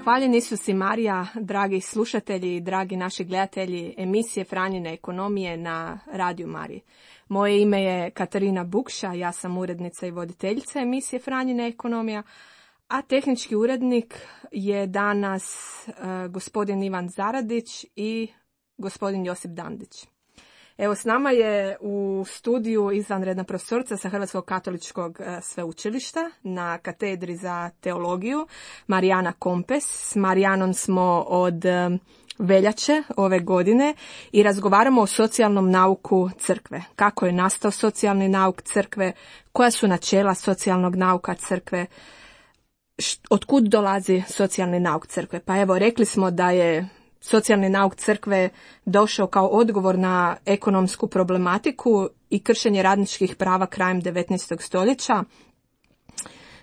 Hvaljen Isus i Marija, dragi slušatelji i dragi naši gledatelji emisije Franjine ekonomije na Radiju Mariji. Moje ime je Katarina Bukša, ja sam urednica i voditeljica emisije Franjine ekonomija, a tehnički urednik je danas gospodin Ivan Zaradić i gospodin Josip Dandić. Evo, s nama je u studiju izvanredna profesorica sa Hrvatskog katoličkog sveučilišta na katedri za teologiju, Marijana Kompes. S Marijanom smo od veljače ove godine i razgovaramo o socijalnom nauku crkve. Kako je nastao socijalni nauk crkve, koja su načela socijalnog nauka crkve, otkud dolazi socijalni nauk crkve. Pa evo, rekli smo da je socijalni nauk crkve došao kao odgovor na ekonomsku problematiku i kršenje radničkih prava krajem 19. stoljeća,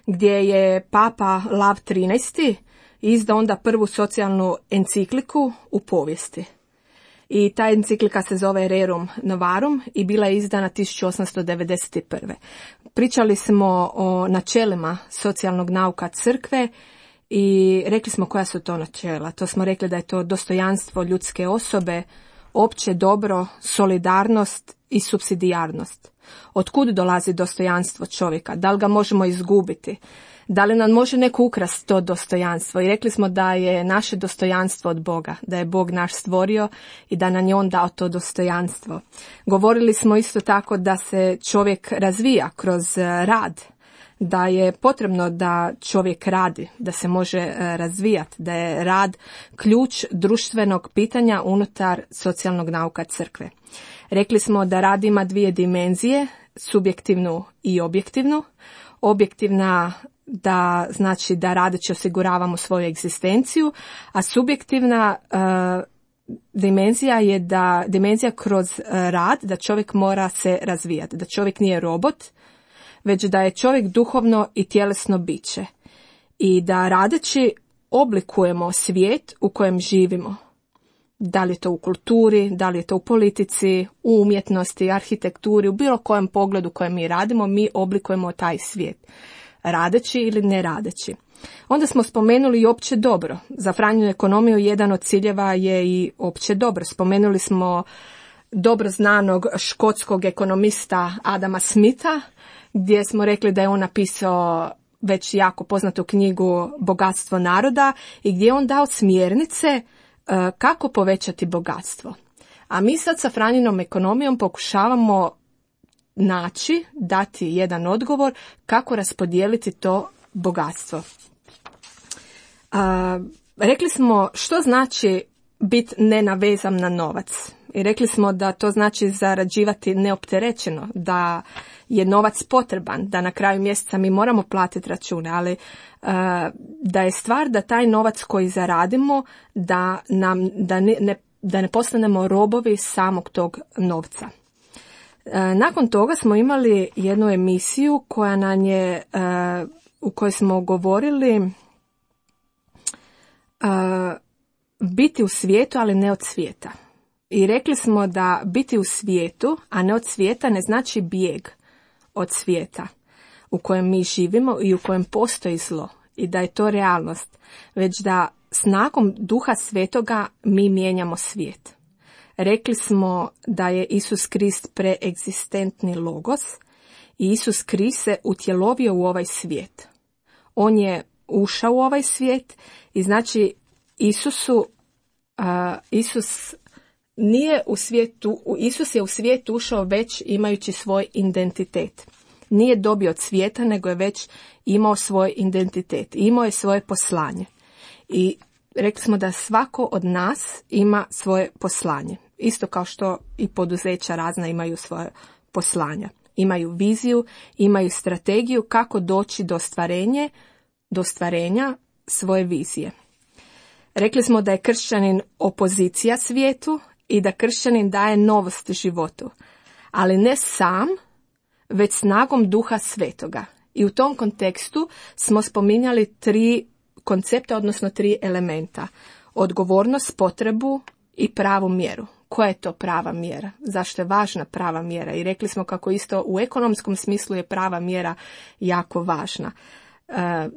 gdje je Papa Lav XIII izdao onda prvu socijalnu encikliku u povijesti. I ta enciklika se zove Rerum Novarum i bila je izdana 1891. Pričali smo o načelima socijalnog nauka crkve i rekli smo koja su to načela. To smo rekli da je to dostojanstvo ljudske osobe, opće dobro, solidarnost i supsidijarnost. Otkud dolazi dostojanstvo čovjeka? Da li ga možemo izgubiti? Da li nam može neko ukrasti to dostojanstvo? I rekli smo da je naše dostojanstvo od Boga, da je Bog naš stvorio i da nam je on dao to dostojanstvo. Govorili smo isto tako da se čovjek razvija kroz rad, da je potrebno da čovjek radi, da se može razvijati, da je rad ključ društvenog pitanja unutar socijalnog nauka crkve. Rekli smo da rad ima dvije dimenzije, subjektivnu i objektivnu. Objektivna da znači da radeći osiguravamo svoju egzistenciju, a subjektivna dimenzija je da dimenzija kroz rad da čovjek mora se razvijati, da čovjek nije robot, već da je čovjek duhovno i tjelesno biće i da radeći oblikujemo svijet u kojem živimo. Da li je to u kulturi, da li je to u politici, u umjetnosti, arhitekturi, u bilo kojem pogledu kojem mi radimo, mi oblikujemo taj svijet, radeći ili ne radeći. Onda smo spomenuli i opće dobro. Za Franjinu ekonomiju jedan od ciljeva je i opće dobro. Spomenuli smo dobro znanog škotskog ekonomista Adama Smitha, gdje smo rekli da je on napisao već jako poznatu knjigu Bogatstvo naroda i gdje je on dao smjernice kako povećati bogatstvo. A mi sad sa Franjinom ekonomijom pokušavamo dati jedan odgovor kako raspodijeliti to bogatstvo. Rekli smo što znači biti nenavezan na novac. I rekli smo da to znači zarađivati neopterećeno, da je novac potreban, da na kraju mjeseca mi moramo platiti račune, ali da je stvar da taj novac koji zaradimo, da ne postanemo robovi samog tog novca. Nakon toga smo imali jednu emisiju koja nam je, u kojoj smo govorili biti u svijetu, ali ne od svijeta. I rekli smo da biti u svijetu, a ne od svijeta, ne znači bijeg od svijeta u kojem mi živimo i u kojem postoji zlo i da je to realnost, već da snagom Duha Svetoga mi mijenjamo svijet. Rekli smo da je Isus Krist preegzistentni logos i Isus Krist se utjelovio u ovaj svijet. On je ušao u ovaj svijet i znači Isus nije u svijetu, Isus je u svijet ušao već imajući svoj identitet. Nije dobio od svijeta, nego je već imao svoj identitet, imao je svoje poslanje. I rekli smo da svako od nas ima svoje poslanje. Isto kao što i poduzeća razna imaju svoje poslanja. Imaju viziju, imaju strategiju kako doći do ostvarenja svoje vizije. Rekli smo da je kršćanin opozicija svijetu i da kršćanin daje novost životu, ali ne sam, već snagom Duha Svetoga. I u tom kontekstu smo spominjali 3 koncepta, odnosno 3 elementa. Odgovornost, potrebu i pravu mjeru. Koja je to prava mjera? Zašto je važna prava mjera? I rekli smo kako isto u ekonomskom smislu je prava mjera jako važna.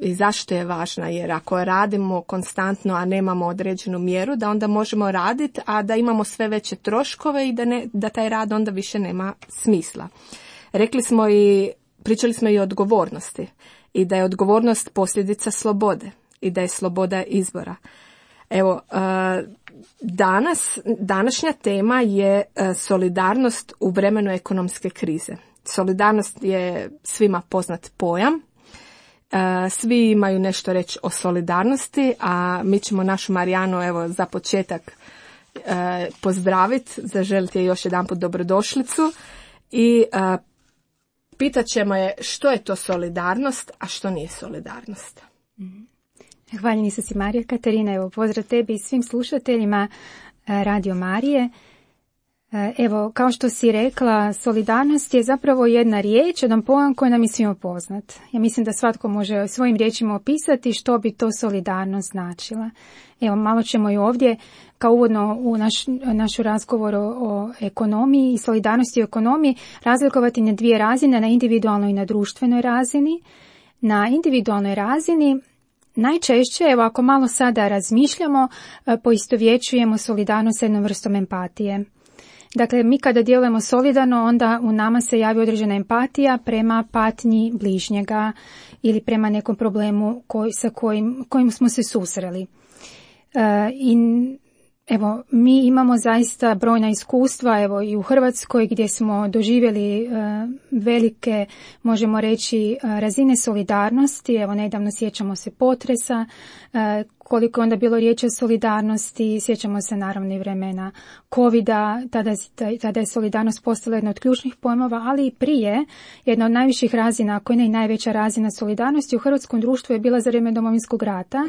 I zašto je važna? Jer ako radimo konstantno, a nemamo određenu mjeru, da onda možemo raditi, a da imamo sve veće troškove i da taj rad onda više nema smisla. Pričali smo i o odgovornosti i da je odgovornost posljedica slobode i da je sloboda izbora. Evo, današnja tema je solidarnost u vremenu ekonomske krize. Solidarnost je svima poznat pojam. Svi imaju nešto reći o solidarnosti, a mi ćemo našu Marijanu evo za početak pozdraviti, zaželiti je još jedanput dobrodošlicu i pitat ćemo je što je to solidarnost, a što nije solidarnost. Hvala si Marija. Katarina, evo pozdrav tebi i svim slušateljima Radio Marije. Evo, kao što si rekla, solidarnost je zapravo jedna riječ, jedan pojam koji nam je svima poznat. Ja mislim da svatko može svojim riječima opisati što bi to solidarnost značila. Evo, malo ćemo i ovdje, kao uvodno u našu razgovor o ekonomiji i solidarnosti u ekonomiji, razlikovati na dvije razine, na individualnoj i na društvenoj razini. Na individualnoj razini najčešće, evo ako malo sada razmišljamo, poistovjećujemo solidarnost s jednom vrstom empatije. Dakle, mi kada djelujemo solidarno, onda u nama se javi određena empatija prema patnji bližnjega ili prema nekom problemu sa kojim smo se susreli. I evo, mi imamo zaista brojna iskustva, evo i u Hrvatskoj gdje smo doživjeli velike, možemo reći, razine solidarnosti. Evo, nedavno sjećamo se potresa, koliko je onda bilo riječi o solidarnosti, sjećamo se naravno i vremena covida, tada je solidarnost postala jedna od ključnih pojmova, ali i prije jedna od najviših razina, ako ne i najveća razina solidarnosti u hrvatskom društvu je bila za vrijeme Domovinskog rata.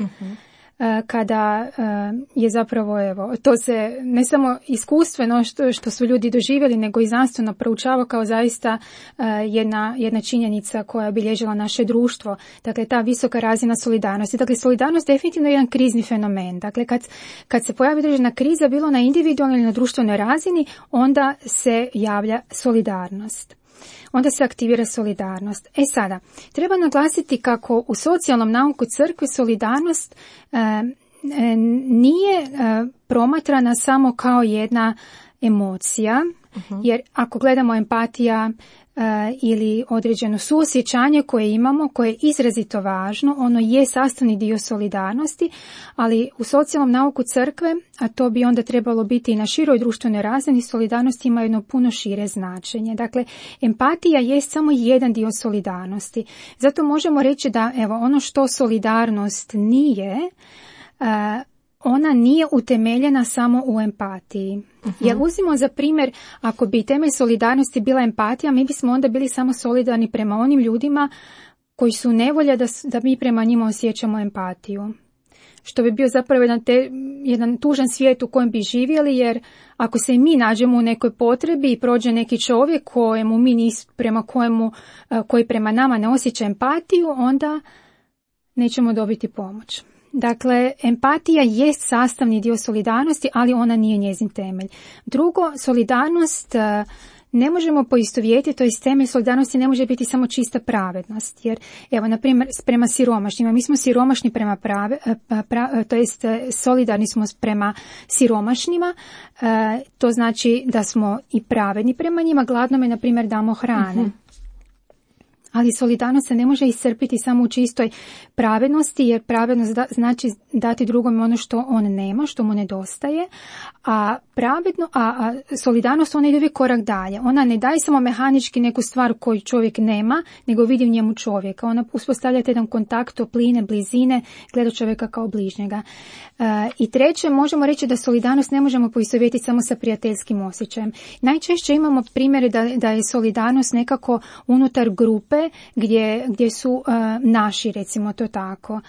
Kada je zapravo, evo, to se ne samo iskustveno što su ljudi doživjeli, nego i znanstveno proučava kao zaista jedna činjenica koja je obilježila naše društvo. Dakle, ta visoka razina solidarnosti. Dakle, solidarnost je definitivno jedan krizni fenomen. Dakle, kad se pojavi određena kriza, bilo na individualnoj ili na društvenoj razini, onda se javlja solidarnost. Onda se aktivira solidarnost. Sada, treba naglasiti kako u socijalnom nauku crkve solidarnost nije promatrana samo kao jedna emocija, jer ako gledamo empatija ili određeno suosjećanje koje imamo, koje je izrazito važno, ono je sastavni dio solidarnosti, ali u socijalnom nauku crkve, a to bi onda trebalo biti i na široj društvenoj razini, solidarnost ima jedno puno šire značenje. Dakle, empatija je samo jedan dio solidarnosti. Zato možemo reći da, evo, ono što solidarnost nije, ona nije utemeljena samo u empatiji. Jer uzmimo za primjer, ako bi temelj solidarnosti bila empatija, mi bismo onda bili samo solidarni prema onim ljudima koji su u nevolji da mi prema njima osjećamo empatiju. Što bi bio zapravo jedan tužan svijet u kojem bi živjeli, jer ako se i mi nađemo u nekoj potrebi i prođe neki čovjek koji prema nama ne osjeća empatiju, onda nećemo dobiti pomoć. Dakle, empatija jest sastavni dio solidarnosti, ali ona nije njezin temelj. Drugo, solidarnost ne možemo poistovjetiti, to jest temelj solidarnosti ne može biti samo čista pravednost. Jer, evo, na primjer, prema siromašnima, mi smo siromašni prema to jest solidarni smo prema siromašnima, to znači da smo i pravedni prema njima, gladnome, na primjer, damo hrane. Ali solidarnost se ne može iscrpiti samo u čistoj pravednosti, jer pravednost znači dati drugom ono što on nema, što mu nedostaje, a solidarnost ona ide uvijek korak dalje. Ona ne daje samo mehanički neku stvar koju čovjek nema, nego vidi u njemu čovjeka. Ona uspostavlja jedan kontakt, topline, blizine, gleda čovjeka kao bližnjega. I treće, možemo reći da solidarnost ne možemo poistovjetiti samo sa prijateljskim osjećajem. Najčešće imamo primjere da je solidarnost nekako unutar grupe gdje su naši, recimo to tako,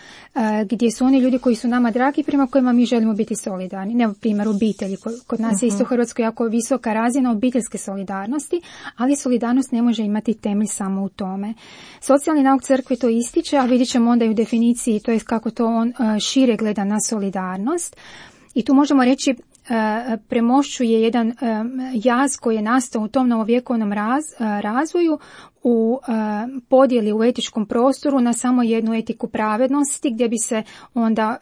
gdje su oni ljudi koji su nama dragi, prema kojima mi želimo biti solidarni. Ne, primjer obitelji, kod nas je isto u Hrvatskoj jako visoka razina obiteljske solidarnosti, ali solidarnost ne može imati temelj samo u tome. Socijalni nauk crkve to ističe, a vidjet ćemo onda i u definiciji, to je kako to on šire gleda na solidarnost. I tu možemo reći premošćuje jedan jaz koji je nastao u tom novovjekovnom razvoju u podjeli u etičkom prostoru na samo jednu etiku pravednosti, gdje bi se onda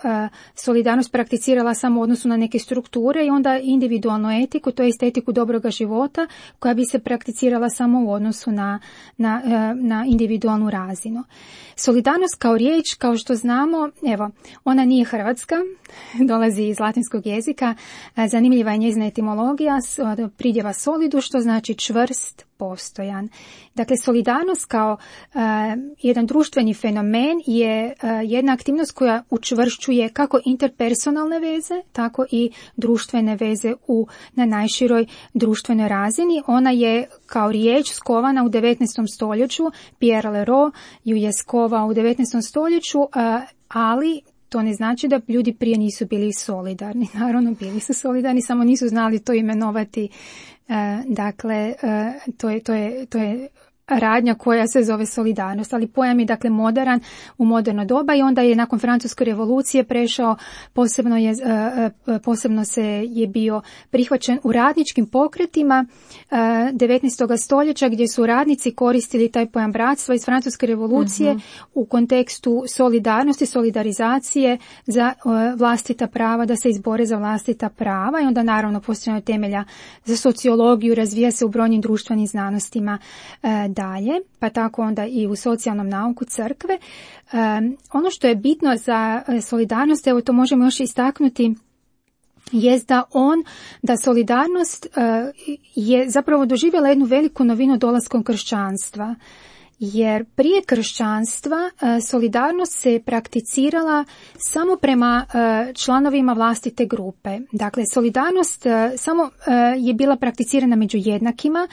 solidarnost prakticirala samo u odnosu na neke strukture i onda individualnu etiku, to jest etiku dobroga života, koja bi se prakticirala samo u odnosu na individualnu razinu. Solidarnost kao riječ, kao što znamo, evo, ona nije hrvatska, dolazi iz latinskog jezika, zanimljiva je njezina etimologija, pridjeva solidu, što znači čvrst, postojan. Dakle, solidarnost kao jedan društveni fenomen je jedna aktivnost koja učvršćuje kako interpersonalne veze, tako i društvene veze na najširoj društvenoj razini. Ona je kao riječ skovana u 19. stoljeću, Pierre Leroux ju je skovao u 19. stoljeću, ali to ne znači da ljudi prije nisu bili solidarni. Naravno, bili su solidarni, samo nisu znali to imenovati. Dakle, to je radnja koja se zove solidarnost, ali pojam je dakle moderan u moderno doba i onda je nakon Francuske revolucije prešao, posebno je bio prihvaćen u radničkim pokretima 19. stoljeća, gdje su radnici koristili taj pojam bratstva iz Francuske revolucije u kontekstu solidarnosti, solidarizacije za vlastita prava, da se izbore za vlastita prava i onda naravno postavljeno temelja za sociologiju, razvija se u brojnim društvenim znanostima dalje, pa tako onda i u socijalnom nauku crkve. Ono što je bitno za solidarnost, evo to možemo još istaknuti, jest da solidarnost je zapravo doživjela jednu veliku novinu dolaskom kršćanstva. Jer prije kršćanstva solidarnost se prakticirala samo prema članovima vlastite grupe. Dakle, solidarnost samo je bila prakticirana među jednakima,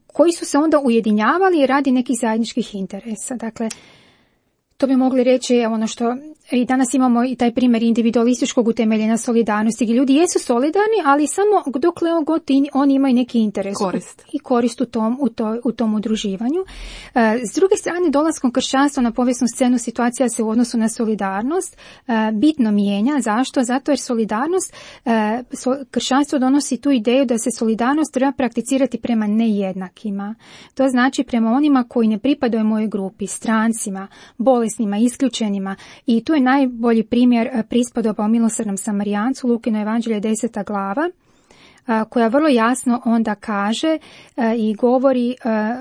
koji su se onda ujedinjavali radi nekih zajedničkih interesa. Dakle, to bi mogli reći ono što i danas imamo i taj primjer individualističkog utemeljenja solidarnosti, gdje ljudi jesu solidarni, ali samo dokle god oni imaju neki interes i korist u tom udruživanju. S druge strane, dolaskom kršćanstva na povijesnu scenu situacija se u odnosu na solidarnost bitno mijenja. Zašto? Zato jer kršćanstvo donosi tu ideju da se solidarnost treba prakticirati prema nejednakima. To znači prema onima koji ne pripadaju mojoj grupi, strancima, bolesnima, isključenima, i tu je najbolji primjer prispodoba o milosrdnom Samarijancu, Lukino evanđelje 10. glava, koja vrlo jasno onda kaže i govori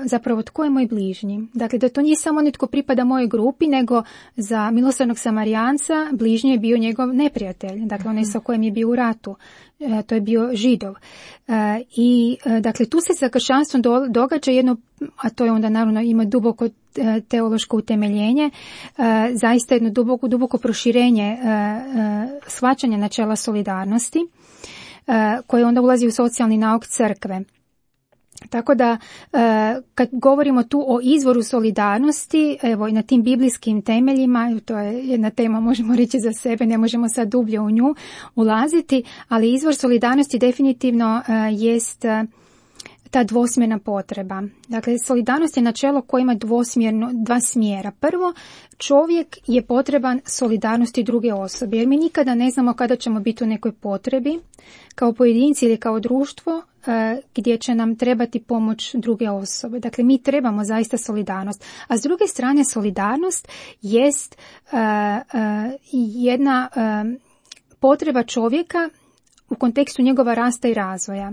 zapravo tko je moj bližnji. Dakle, da to nije samo netko pripada mojoj grupi, nego za milosrdnog Samarijanca bližnji je bio njegov neprijatelj, dakle onaj sa kojim je bio u ratu. To je bio Židov. I dakle, tu se sa kršćanstvom događa jedno, a to je onda naravno ima duboko teološko utemeljenje, zaista jedno duboko proširenje shvaćanja načela solidarnosti, koje onda ulazi u socijalni nauk crkve. Tako da, kad govorimo tu o izvoru solidarnosti, evo i na tim biblijskim temeljima, to je jedna tema, možemo reći za sebe, ne možemo sad dublje u nju ulaziti, ali izvor solidarnosti definitivno jest ta dvosmjerna potreba. Dakle, solidarnost je načelo koje ima dva smjera. Prvo, čovjek je potreban solidarnosti druge osobe, jer mi nikada ne znamo kada ćemo biti u nekoj potrebi, kao pojedinci ili kao društvo, gdje će nam trebati pomoć druge osobe. Dakle, mi trebamo zaista solidarnost. A s druge strane, solidarnost jest jedna potreba čovjeka u kontekstu njegova rasta i razvoja.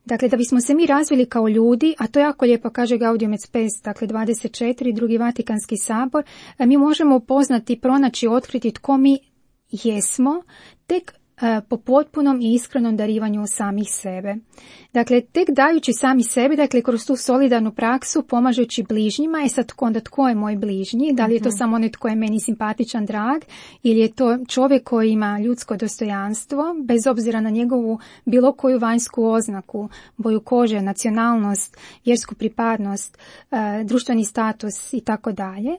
Dakle, da bismo se mi razvili kao ljudi, a to jako lijepo kaže Gaudium et Spes, dakle 24, drugi Vatikanski sabor, mi možemo upoznati, pronaći, otkriti tko mi jesmo, tek po potpunom i iskrenom darivanju samih sebe. Dakle, tek dajući sami sebi, dakle, kroz tu solidarnu praksu, pomažući bližnjima, sad onda tko je moj bližnji? Da li je to samo onaj tko je meni simpatičan, drag, ili je to čovjek koji ima ljudsko dostojanstvo, bez obzira na njegovu bilo koju vanjsku oznaku, boju kože, nacionalnost, vjersku pripadnost, društveni status i tako dalje.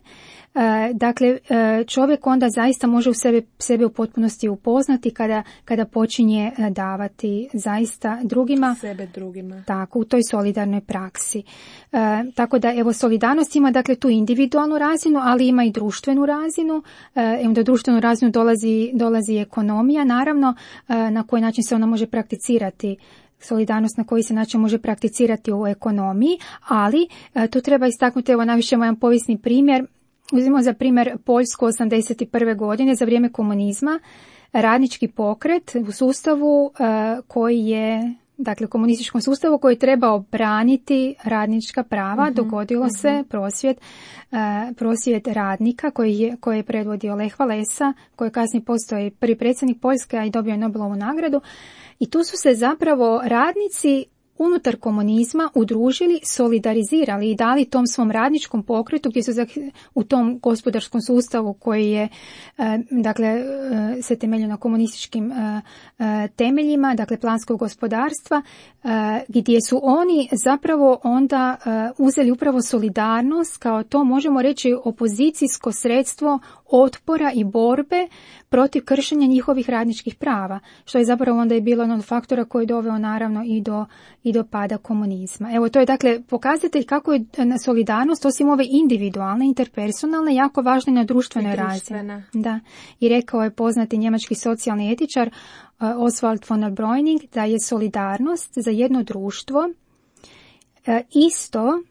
Dakle, čovjek onda zaista može u sebe u potpunosti upoznati kada počinje davati zaista drugima. Sebe drugima. Tako, u toj solidarnoj praksi. Tako da, evo, solidarnost ima dakle tu individualnu razinu, ali ima i društvenu razinu. Onda društvenu razinu dolazi ekonomija, naravno, na koji način se ona može prakticirati solidarnost na koji se način može prakticirati u ekonomiji, ali tu treba istaknuti, evo navišemo jedan povijesni primjer. Uzmimo za primjer Poljsku 1981. godine za vrijeme komunizma, radnički pokret u sustavu koji je, dakle komunističkom sustavu koji je trebao braniti radnička prava, dogodilo se prosvjed radnika koji je predvodio Lech Walesa, koji je kasnije postao i prvi predsjednik Poljske, a i dobio je Nobelovu nagradu. I tu su se zapravo radnici unutar komunizma udružili, solidarizirali i dali tom svom radničkom pokretu gdje su u tom gospodarskom sustavu koji je se temelji na komunističkim temeljima, dakle planskog gospodarstva, gdje su oni zapravo onda uzeli upravo solidarnost kao to, možemo reći, opozicijsko sredstvo otpora i borbe protiv kršenja njihovih radničkih prava, što je zapravo onda i bilo jedan od faktora koji je doveo naravno i do pada komunizma. Evo, to je dakle pokazatelj kako je solidarnost, osim ove individualne, interpersonalne, jako važna i na društvenoj razini. Da. I rekao je poznati njemački socijalni etičar Oswald von der Breuning da je solidarnost za jedno društvo isto,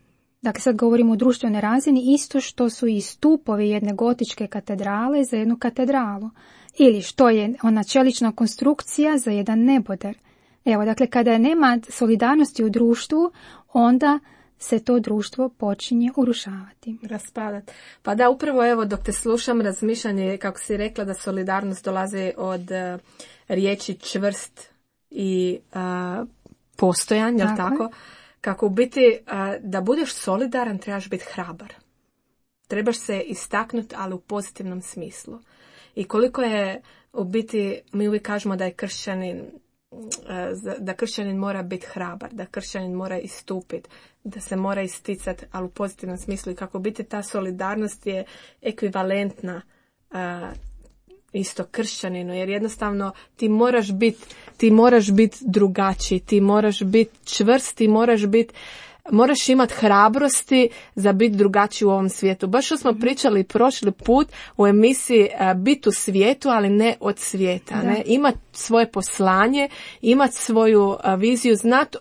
dakle sad govorimo o društvenoj razini, isto što su i stupovi jedne gotičke katedrale za jednu katedralu. Ili što je ona čelična konstrukcija za jedan neboder. Evo, dakle, kada nema solidarnosti u društvu, onda se to društvo počinje urušavati. Raspadati. Pa da, upravo evo dok te slušam, razmišljanje, kako si rekla, da solidarnost dolazi od riječi čvrst i postojan, jel tako? Kako u biti, da budeš solidaran, trebaš biti hrabar. Trebaš se istaknuti, ali u pozitivnom smislu. I koliko je u biti, mi uvijek kažemo da je kršćanin mora biti hrabar, da kršćanin mora istupiti, da se mora isticati, ali u pozitivnom smislu. I kako biti ta solidarnost je ekvivalentna isto kršćaninu, jer jednostavno ti moraš biti drugačiji, ti moraš biti čvrst, ti moraš imati hrabrosti za biti drugačiji u ovom svijetu. Baš što smo pričali prošli put u emisiji Biti u svijetu, ali ne od svijeta. Ne? Imati svoje poslanje, imati svoju viziju, znati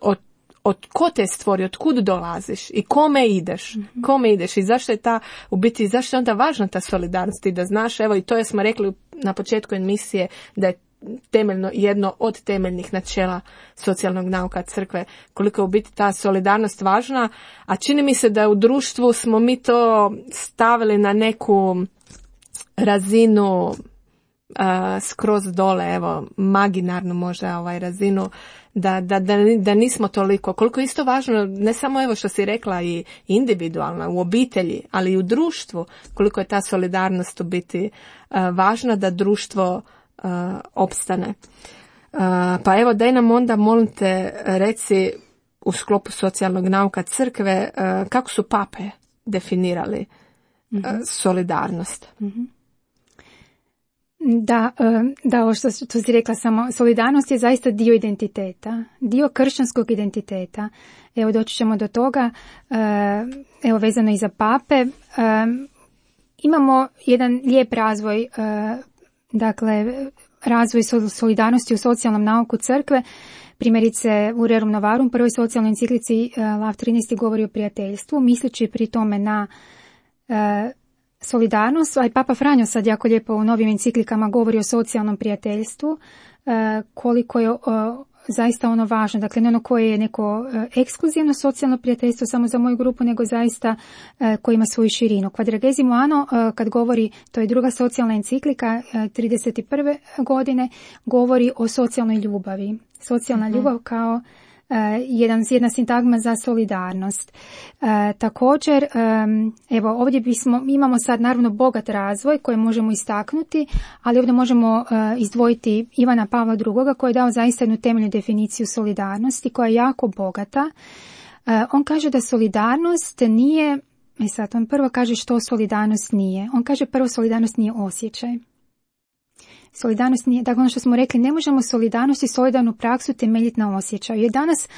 od ko te stvori, od kud dolaziš i kome ideš. I zašto je zašto je onda važna ta solidarnost i da znaš, evo i to smo rekli na početku emisije, da je temeljno, jedno od temeljnih načela socijalnog nauka crkve, koliko je u biti ta solidarnost važna, a čini mi se da u društvu smo mi to stavili na neku razinu skroz dole, evo, maginarnu možda razinu, da nismo toliko, koliko je isto važno, ne samo evo što si rekla i individualno, u obitelji, ali i u društvu, koliko je ta solidarnost u biti važna da društvo opstane. Pa evo, daj nam onda, molim te, reci u sklopu socijalnog nauka crkve, kako su pape definirali solidarnost? Da, ovo što si rekla, samo solidarnost je zaista dio identiteta, dio kršćanskog identiteta. Evo, doći ćemo do toga, evo, vezano i za pape. Imamo jedan lijep razvoj, dakle, razvoj solidarnosti u socijalnom nauku crkve. Primjerice, u Rerum Novarum, prvoj socijalnoj enciklici, Lav 13. govori o prijateljstvu, misleći pri tome na solidarnost, a i Papa Franjo sad jako lijepo u novim enciklikama govori o socijalnom prijateljstvu, koliko je zaista ono važno, dakle ne ono koje je neko ekskluzivno socijalno prijateljstvo samo za moju grupu, nego zaista koji ima svoju širinu. Quadragesimo anno, kad govori, to je druga socijalna enciklika 31. godine, govori o socijalnoj ljubavi. Socijalna ljubav kao jedna sintagma za solidarnost. Također, evo, ovdje imamo sad naravno bogat razvoj koji možemo istaknuti, ali ovdje možemo izdvojiti Ivana Pavla II. Koji je dao zaista jednu temeljnu definiciju solidarnosti koja je jako bogata. On kaže da solidarnost nije, sad on prvo kaže što solidarnost nije. On kaže prvo, solidarnost nije osjećaj. Solidarnost nije, dakle ono što smo rekli, ne možemo solidarnost i solidarnu praksu temeljiti na osjećaju. Jer danas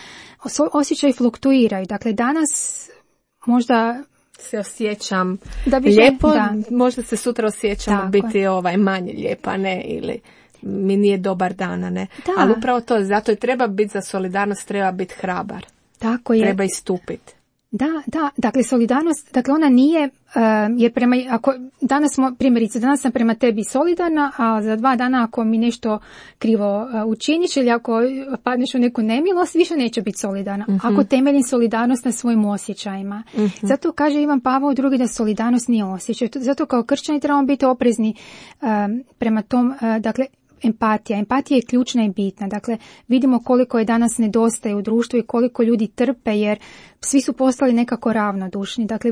osjećaji fluktuiraju. Dakle, danas možda se osjećam lijepo, možda se sutra osjećam biti manje lijepa, ne, ili mi nije dobar dan, ne? Da. Ali upravo to, zato i treba biti za solidarnost, treba biti hrabar. Tako je. Treba istupiti. Da, dakle solidarnost, dakle ona nije, jer danas sam prema tebi solidarna, a za 2 dana ako mi nešto krivo učiniš ili ako padneš u neku nemilost, više neće biti solidarna. Ako temeljim solidarnost na svojim osjećajima. Zato kaže Ivan Pavao II da solidarnost nije osjećaj. Zato kao kršćani trebamo biti oprezni prema tom, dakle, Empatija je ključna i bitna. Dakle, vidimo koliko je danas nedostaje u društvu i koliko ljudi trpe jer svi su postali nekako ravnodušni. Dakle,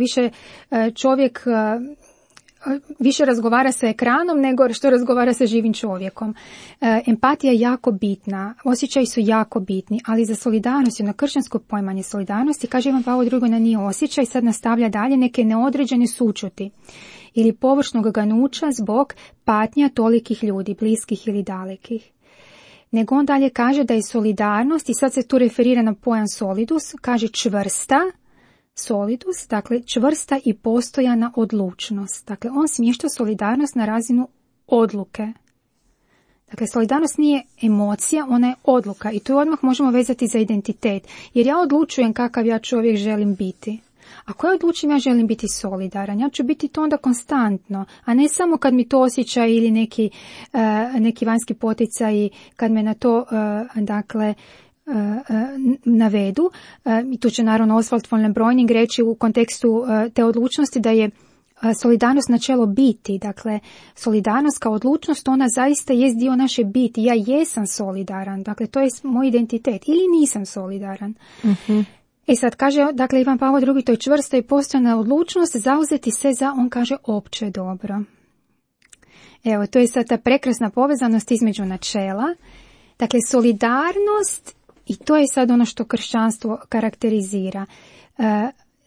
čovjek više razgovara sa ekranom nego što razgovara sa živim čovjekom. Empatija je jako bitna, osjećaji su jako bitni, ali za solidarnost, jedno kršćansko poimanje solidarnosti, kaže Ivan Pavao II da nije osjećaj, sad nastavlja dalje neke neodređene sućuti ili površnog ganuća zbog patnja tolikih ljudi, bliskih ili dalekih. Nego on dalje kaže da je solidarnost, i sad se tu referira na pojam solidus, kaže čvrsta, solidus, dakle čvrsta i postojana odlučnost. Dakle, on smješta solidarnost na razinu odluke. Dakle, solidarnost nije emocija, ona je odluka i tu odmah možemo vezati za identitet, jer ja odlučujem kakav ja čovjek želim biti. Ako ja odlučim ja želim biti solidaran, ja ću biti to onda konstantno, a ne samo kad mi to osjećaj ili neki vanjski poticaj kad me na to navedu. I tu će naravno Oswald von Lembroining reći u kontekstu te odlučnosti da je solidarnost načelo biti. Dakle, solidarnost kao odlučnost, ona zaista jest dio naše biti. Ja jesam solidaran, dakle to je moj identitet ili nisam solidaran. I sad kaže, dakle, Ivan Pavao II, to je čvrsta i postojana odlučnost zauzeti se za, on kaže, opće dobro. Evo, to je sad ta prekrasna povezanost između načela. Dakle, solidarnost, i to je sad ono što kršćanstvo karakterizira,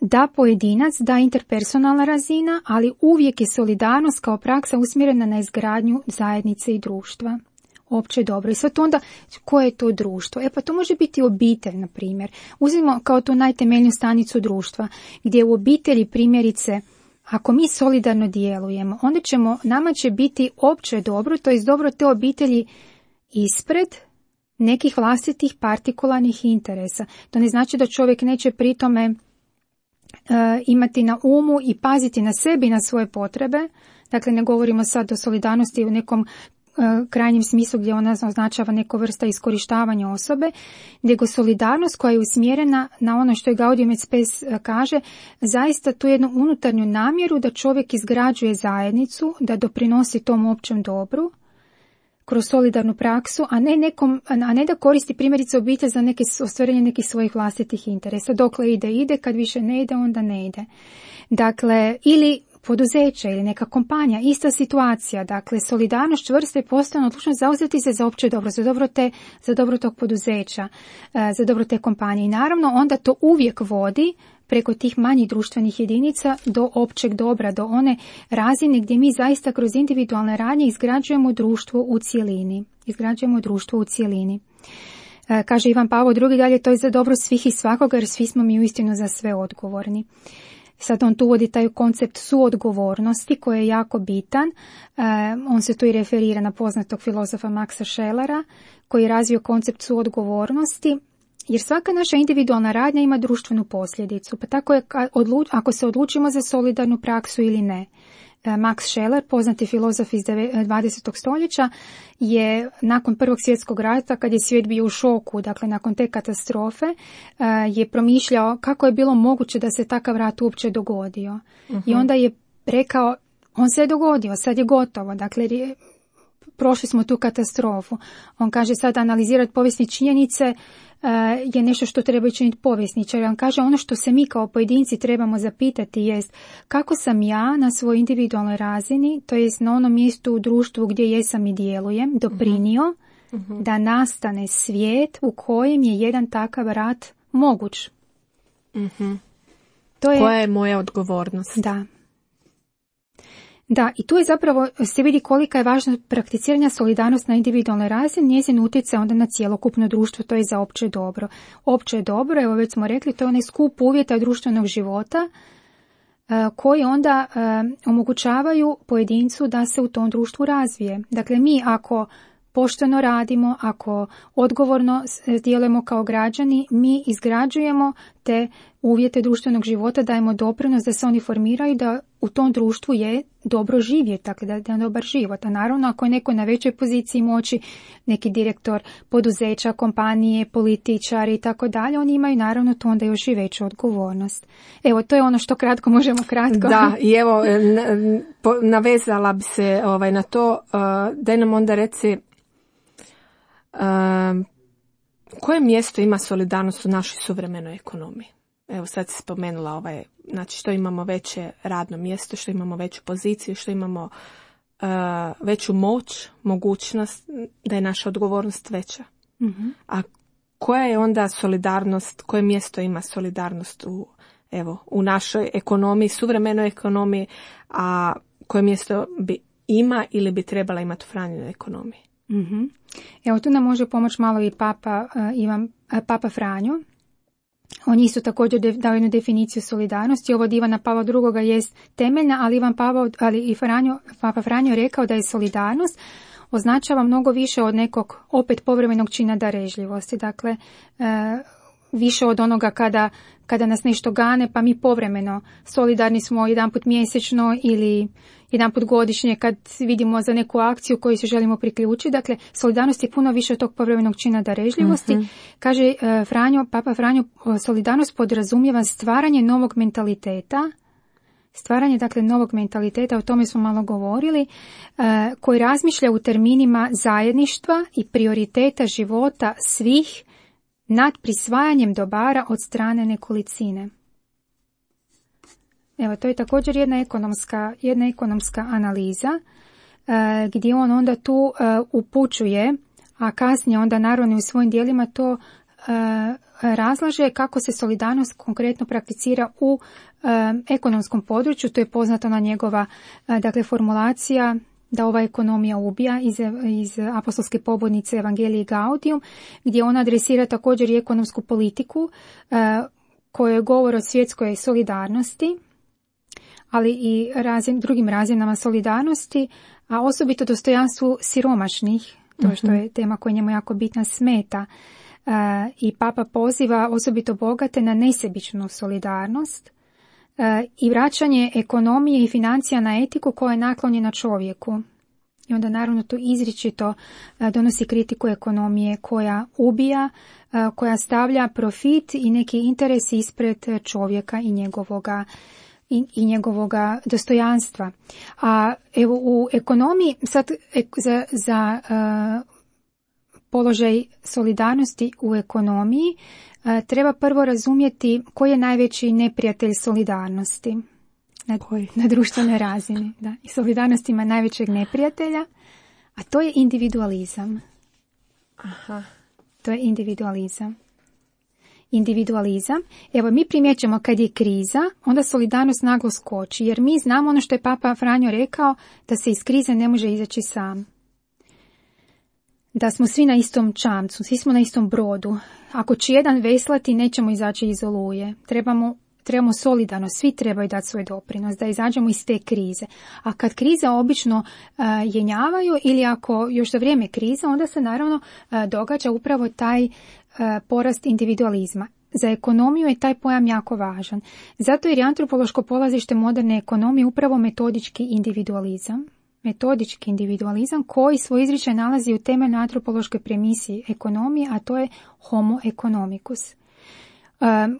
da pojedinac, da interpersonalna razina, ali uvijek je solidarnost kao praksa usmjerena na izgradnju zajednice i društva. Opće dobro. I sad onda, koje je to društvo? Pa to može biti obitelj, na primjer. Uzmimo kao tu najtemeljniju stanicu društva, gdje u obitelji, primjerice, ako mi solidarno djelujemo, onda nama će biti opće dobro, to je dobro te obitelji ispred nekih vlastitih partikularnih interesa. To ne znači da čovjek neće pri tome imati na umu i paziti na sebi i na svoje potrebe. Dakle, ne govorimo sad o solidarnosti u nekom krajnjem smislu gdje ona označava neku vrsta iskorištavanja osobe, nego solidarnost koja je usmjerena na ono što je Gaudium et Spes kaže, zaista tu jednu unutarnju namjeru da čovjek izgrađuje zajednicu, da doprinosi tom općem dobru kroz solidarnu praksu, a ne da koristi primjerice obitelj za ostvarenje nekih svojih vlastitih interesa. Dokle ide, kad više ne ide, onda ne ide. Dakle, ili poduzeće ili neka kompanija, ista situacija, dakle solidarnost, čvrsta i postojana odlučnost zauzeti se za opće dobro, za dobro tog poduzeća, za dobro te kompanije. I naravno onda to uvijek vodi preko tih manjih društvenih jedinica do općeg dobra, do one razine gdje mi zaista kroz individualne radnje izgrađujemo društvo u cjelini. Kaže Ivan Pavao II dalje, to je za dobro svih i svakoga, jer svi smo mi uistinu za sve odgovorni. Sad on tu uvodi taj koncept suodgovornosti koji je jako bitan. On se tu i referira na poznatog filozofa Maxa Schellera koji je razvio koncept suodgovornosti, jer svaka naša individualna radnja ima društvenu posljedicu. Pa tako je ako se odlučimo za solidarnu praksu ili ne. Max Scheler, poznati filozof iz 20. stoljeća, je nakon Prvog svjetskog rata, kad je svijet bio u šoku, dakle nakon te katastrofe, je promišljao kako je bilo moguće da se takav rat uopće dogodio. I onda je rekao, on se je dogodio, sad je gotovo, dakle prošli smo tu katastrofu. On kaže sad analizirati povijesne činjenice je nešto što treba činiti povjesničar. On kaže ono što se mi kao pojedinci trebamo zapitati jest kako sam ja na svojoj individualnoj razini, to jest na onom mjestu u društvu gdje jesam i djelujem, doprinio da nastane svijet u kojem je jedan takav rat moguć. Koja je moja odgovornost? Da, i tu je zapravo se vidi kolika je važnost prakticiranja solidarnosti na individualnoj razini, njezin utjecaj onda na cjelokupno društvo, to je za opće dobro. Opće dobro, evo već smo rekli, to je onaj skup uvjeta društvenog života koji onda omogućavaju pojedincu da se u tom društvu razvije. Dakle, mi ako pošteno radimo, ako odgovorno djelujemo kao građani, mi izgrađujemo te uvjete društvenog života, dajemo doprinos da se oni formiraju, da u tom društvu je dobro živjeti, dakle da je dobar život. A naravno ako je neko na većoj poziciji moći, neki direktor poduzeća, kompanije, političari i tako dalje, oni imaju naravno to onda još i veću odgovornost. Evo, to je ono što kratko možemo kratko. Da, i evo, navezala bi se na to, daj nam onda reci koje mjesto ima solidarnost u našoj suvremenoj ekonomiji? Evo sad si spomenula znači što imamo veće radno mjesto, što imamo veću poziciju, što imamo veću moć, mogućnost, da je naša odgovornost veća. Mm-hmm. A koja je onda solidarnost, koje mjesto ima solidarnost u našoj ekonomiji, suvremenoj ekonomiji, a koje mjesto ima ili bi trebala imati u Franjinoj ekonomiji? Mm-hmm. Evo tu nam može pomoći malo i Papa Franjo. On isto također dao jednu definiciju solidarnosti. Ovo od Ivana Pavla II. Jest temeljna, ali Papa Franjo rekao da je solidarnost označava mnogo više od nekog opet povremenog čina darežljivosti. Dakle, više od onoga kada nas nešto gane, pa mi povremeno solidarni smo jedanput mjesečno ili jedanput godišnje kad vidimo za neku akciju koju se želimo priključiti. Dakle, solidarnost je puno više od tog povremenog čina darežljivosti. Mm-hmm. Kaže Papa Franjo, solidarnost podrazumijeva stvaranje novog mentaliteta, novog mentaliteta, o tome smo malo govorili, koji razmišlja u terminima zajedništva i prioriteta života svih nad prisvajanjem dobara od strane nekolicine. Evo, to je također jedna ekonomska analiza gdje on onda tu upućuje, a kasnije onda naravno u svojim dijelima to razlaže kako se solidarnost konkretno prakticira u ekonomskom području. To je poznata na njegova formulacija da ova ekonomija ubija iz apostolske pobudnice Evangelii Gaudium, gdje ona adresira također i ekonomsku politiku koja govori o svjetskoj solidarnosti, ali i drugim razinama solidarnosti, a osobito dostojanstvu siromašnih, to što je tema koja njemu jako bitna, smeta. I Papa poziva osobito bogate na nesebičnu solidarnost i vraćanje ekonomije i financija na etiku koja je naklonjena čovjeku. I onda naravno tu izričito donosi kritiku ekonomije koja ubija, koja stavlja profit i neki interes ispred čovjeka i njegovoga dostojanstva. A evo u ekonomiji sad za položaj solidarnosti u ekonomiji treba prvo razumjeti koji je najveći neprijatelj solidarnosti na društvenoj razini. Da. I solidarnost ima najvećeg neprijatelja, a to je individualizam. Aha. To je individualizam. Evo, mi primjećamo kad je kriza, onda solidarnost naglo skoči, jer mi znamo ono što je Papa Franjo rekao, da se iz krize ne može izaći sam. Da smo svi na istom čamcu, svi smo na istom brodu. Ako će jedan veslati, nećemo izaći iz oluje. Trebamo solidarno, svi trebaju dati svoj doprinos, da izađemo iz te krize. A kad krize obično jenjavaju ili ako još za vrijeme krize, onda se naravno događa upravo taj porast individualizma. Za ekonomiju je taj pojam jako važan. Zato jer je antropološko polazište moderne ekonomije upravo metodički individualizam koji svoj izričaj nalazi u temeljnoj antropološkoj premisi ekonomije, a to je homo economicus.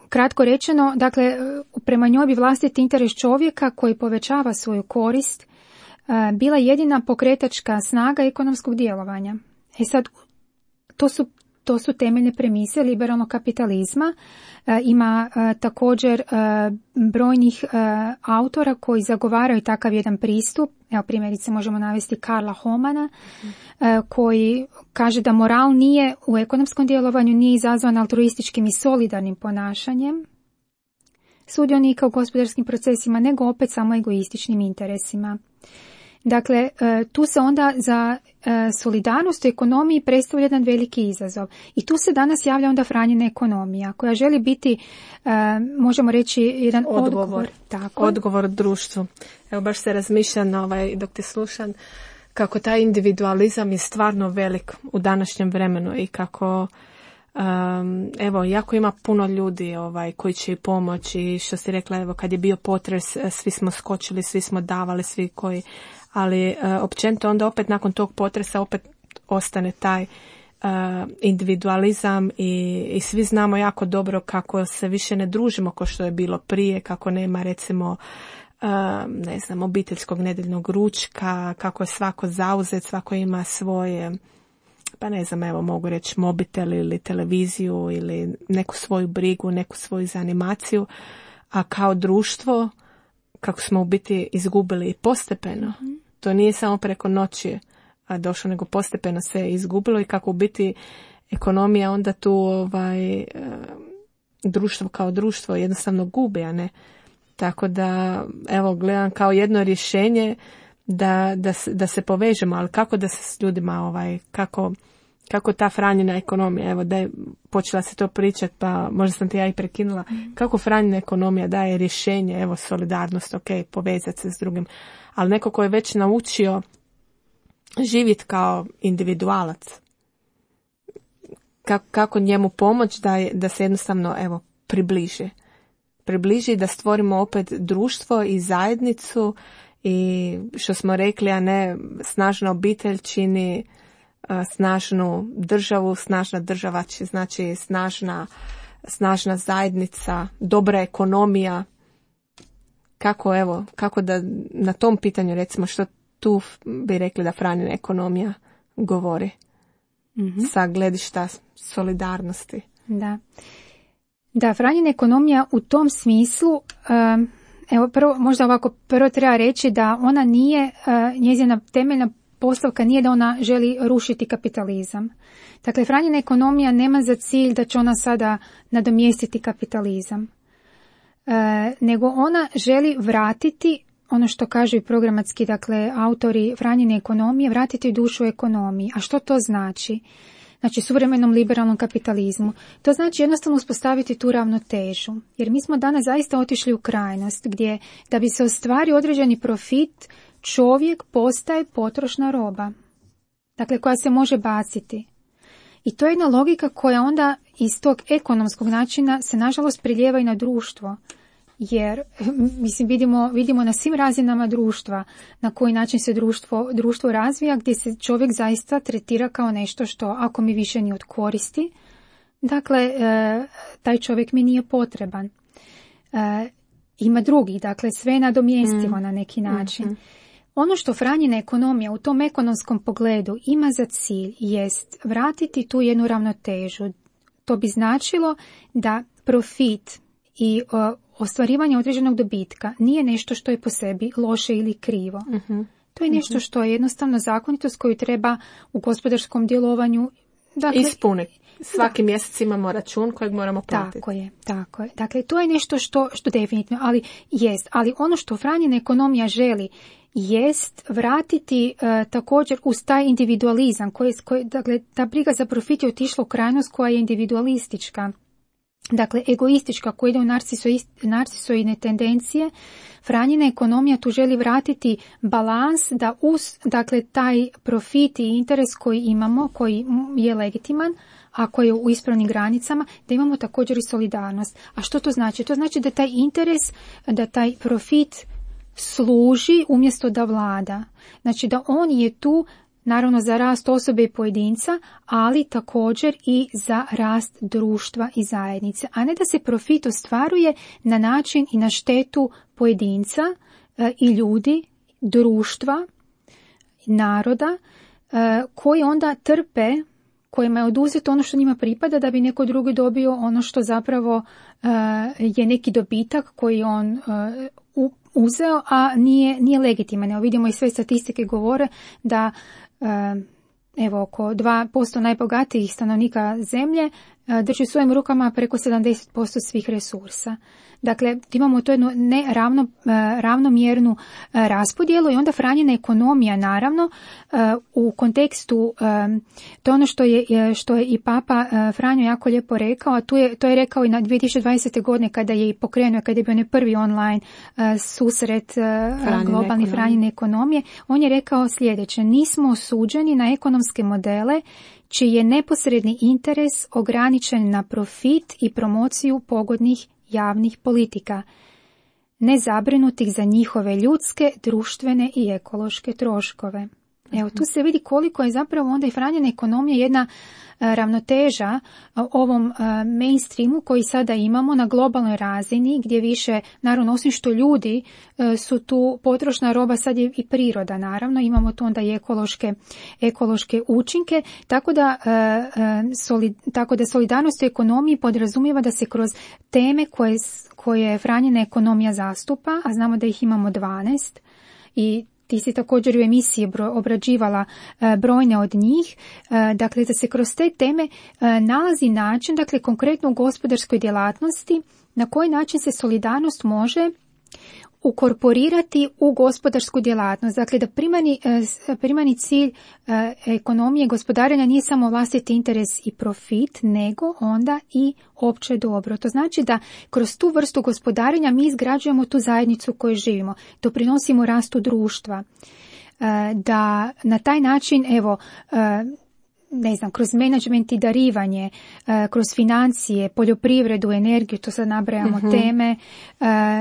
Kratko rečeno, dakle, prema njoj bi vlastiti interes čovjeka koji povećava svoju korist bila jedina pokretačka snaga ekonomskog djelovanja. Sad, to su temeljne premise liberalnog kapitalizma. Ima također brojnih autora koji zagovaraju takav jedan pristup. Evo, primjerice možemo navesti Karla Homana, koji kaže da moral nije u ekonomskom djelovanju nije izazvan altruističkim i solidarnim ponašanjem sudionika u gospodarskim procesima, nego opet samo egoističnim interesima. Dakle, tu se onda za solidarnost u ekonomiji predstavlja jedan veliki izazov. I tu se danas javlja onda Franjina ekonomija, koja želi biti, možemo reći, jedan odgovor. Odgovor društvu. Evo, baš se razmišljam dok te slušam, kako taj individualizam je stvarno velik u današnjem vremenu i kako evo, jako ima puno ljudi koji će i pomoći, što si rekla, evo, kad je bio potres, svi smo skočili, svi smo davali, svi koji, ali općenito onda opet nakon tog potresa opet ostane taj individualizam i svi znamo jako dobro kako se više ne družimo kao što je bilo prije, kako nema recimo ne znam, obiteljskog nedeljnog ručka, kako je svako zauzet, svako ima svoje, pa ne znam, evo mogu reći mobitel ili televiziju ili neku svoju brigu, neku svoju zanimaciju, a kao društvo kako smo u biti izgubili postepeno. To nije samo preko noći došlo, nego postepeno se je izgubilo i kako u biti ekonomija onda tu društvo kao društvo jednostavno gubi, a ne. Tako da, evo, gledam kao jedno rješenje da se povežemo, ali kako da se s ljudima, kako ta Franjina ekonomija, evo da je počela se to pričati, pa možda sam te ja i prekinula, kako Franjina ekonomija daje rješenje, evo solidarnost, ok, povezati se s drugim, ali neko ko je već naučio živjeti kao individualac, kako njemu pomoći da se jednostavno, evo, približi, da stvorimo opet društvo i zajednicu i što smo rekli, a ne snažna obitelj čini snažnu državu, snažna država znači snažna zajednica, dobra ekonomija. Kako da na tom pitanju, recimo, što tu bi rekli da Franjina ekonomija govori sa gledišta solidarnosti. Da, Franjina ekonomija u tom smislu, evo prvo treba reći da ona nije, njezina temeljna postavka nije da ona želi rušiti kapitalizam. Dakle, Franjina ekonomija nema za cilj da će ona sada nadomjestiti kapitalizam, nego ona želi vratiti ono što kažu i programatski, dakle, autori Franjine ekonomije, vratiti dušu ekonomiji. A što to znači? Znači, suvremenom liberalnom kapitalizmu. To znači jednostavno uspostaviti tu ravnotežu. Jer mi smo danas zaista otišli u krajnost gdje da bi se ostvario određeni profit, čovjek postaje potrošna roba. Dakle, koja se može baciti. I to je jedna logika koja onda iz tog ekonomskog načina se nažalost priljeva i na društvo. Jer, mislim, vidimo na svim razinama društva na koji način se društvo razvija, gdje se čovjek zaista tretira kao nešto što, ako mi više nije od koristi, dakle, taj čovjek mi nije potreban. Ima drugih, dakle, sve je nadomjestivo na neki način. Ono što Franjina ekonomija u tom ekonomskom pogledu ima za cilj jest vratiti tu jednu ravnotežu. To bi značilo da profit i ostvarivanje određenog dobitka nije nešto što je po sebi loše ili krivo. To je nešto što je jednostavno zakonitost koju treba u gospodarskom djelovanju, dakle, ispuniti. Svaki mjesec imamo račun kojeg moramo platiti. Tako je. Dakle, to je nešto što definitivno, ali ono što Franjina ekonomija želi jest vratiti također uz taj individualizam, dakle, ta briga za profit je otišla u krajnost koja je individualistička. Dakle, egoistička, koja ide u narcisoidne tendencije. Franjina ekonomija tu želi vratiti balans da uz, dakle, taj profit i interes koji imamo, koji je legitiman, a koji je u ispravnim granicama, da imamo također i solidarnost. A što to znači? To znači da taj interes, da taj profit služi umjesto da vlada. Znači da on je tu naravno za rast osobe i pojedinca, ali također i za rast društva i zajednice. A ne da se profit ostvaruje na način i na štetu pojedinca i ljudi, društva, naroda, koji onda trpe, kojima je oduzeto ono što njima pripada da bi neko drugi dobio ono što zapravo je neki dobitak koji on uzeo, a nije legitiman. Evo vidimo i sve statistike govore da evo oko 2% najbogatijih stanovnika zemlje drži u svojim rukama preko 70% svih resursa. Dakle, imamo to jednu ravnomjernu raspodjelu i onda Franjina ekonomija, naravno, u kontekstu, to je ono što je i Papa Franjo jako lijepo rekao, a to je rekao i na 2020. godine kada je i pokrenuo, kada je bio onaj prvi online susret globalni Franjine ekonomije. On je rekao sljedeće: nismo osuđeni na ekonomske modele čiji je neposredni interes ograničen na profit i promociju pogodnih javnih politika, nezabrinuti za njihove ljudske, društvene i ekološke troškove. Evo, tu se vidi koliko je zapravo onda i Franjina ekonomija jedna ravnoteža ovom mainstreamu koji sada imamo na globalnoj razini, gdje više, naravno, osim što ljudi su tu potrošna roba, sad je i priroda, naravno, imamo tu onda i ekološke učinke, tako da solidarnost u ekonomiji podrazumijeva da se kroz teme koje Franjina ekonomija zastupa, a znamo da ih imamo 12, i ti si također u emisiji obrađivala brojne od njih, dakle da se kroz te teme nalazi način, dakle konkretno u gospodarskoj djelatnosti, na koji način se solidarnost može ukorporirati u gospodarsku djelatnost. Dakle, da primarni cilj ekonomije gospodarenja nije samo vlastiti interes i profit, nego onda i opće dobro. To znači da kroz tu vrstu gospodarenja mi izgrađujemo tu zajednicu u kojoj živimo, doprinosimo rastu društva, da na taj način, evo, kroz menadžment i darivanje, kroz financije, poljoprivredu, energiju, to sad nabrajamo teme.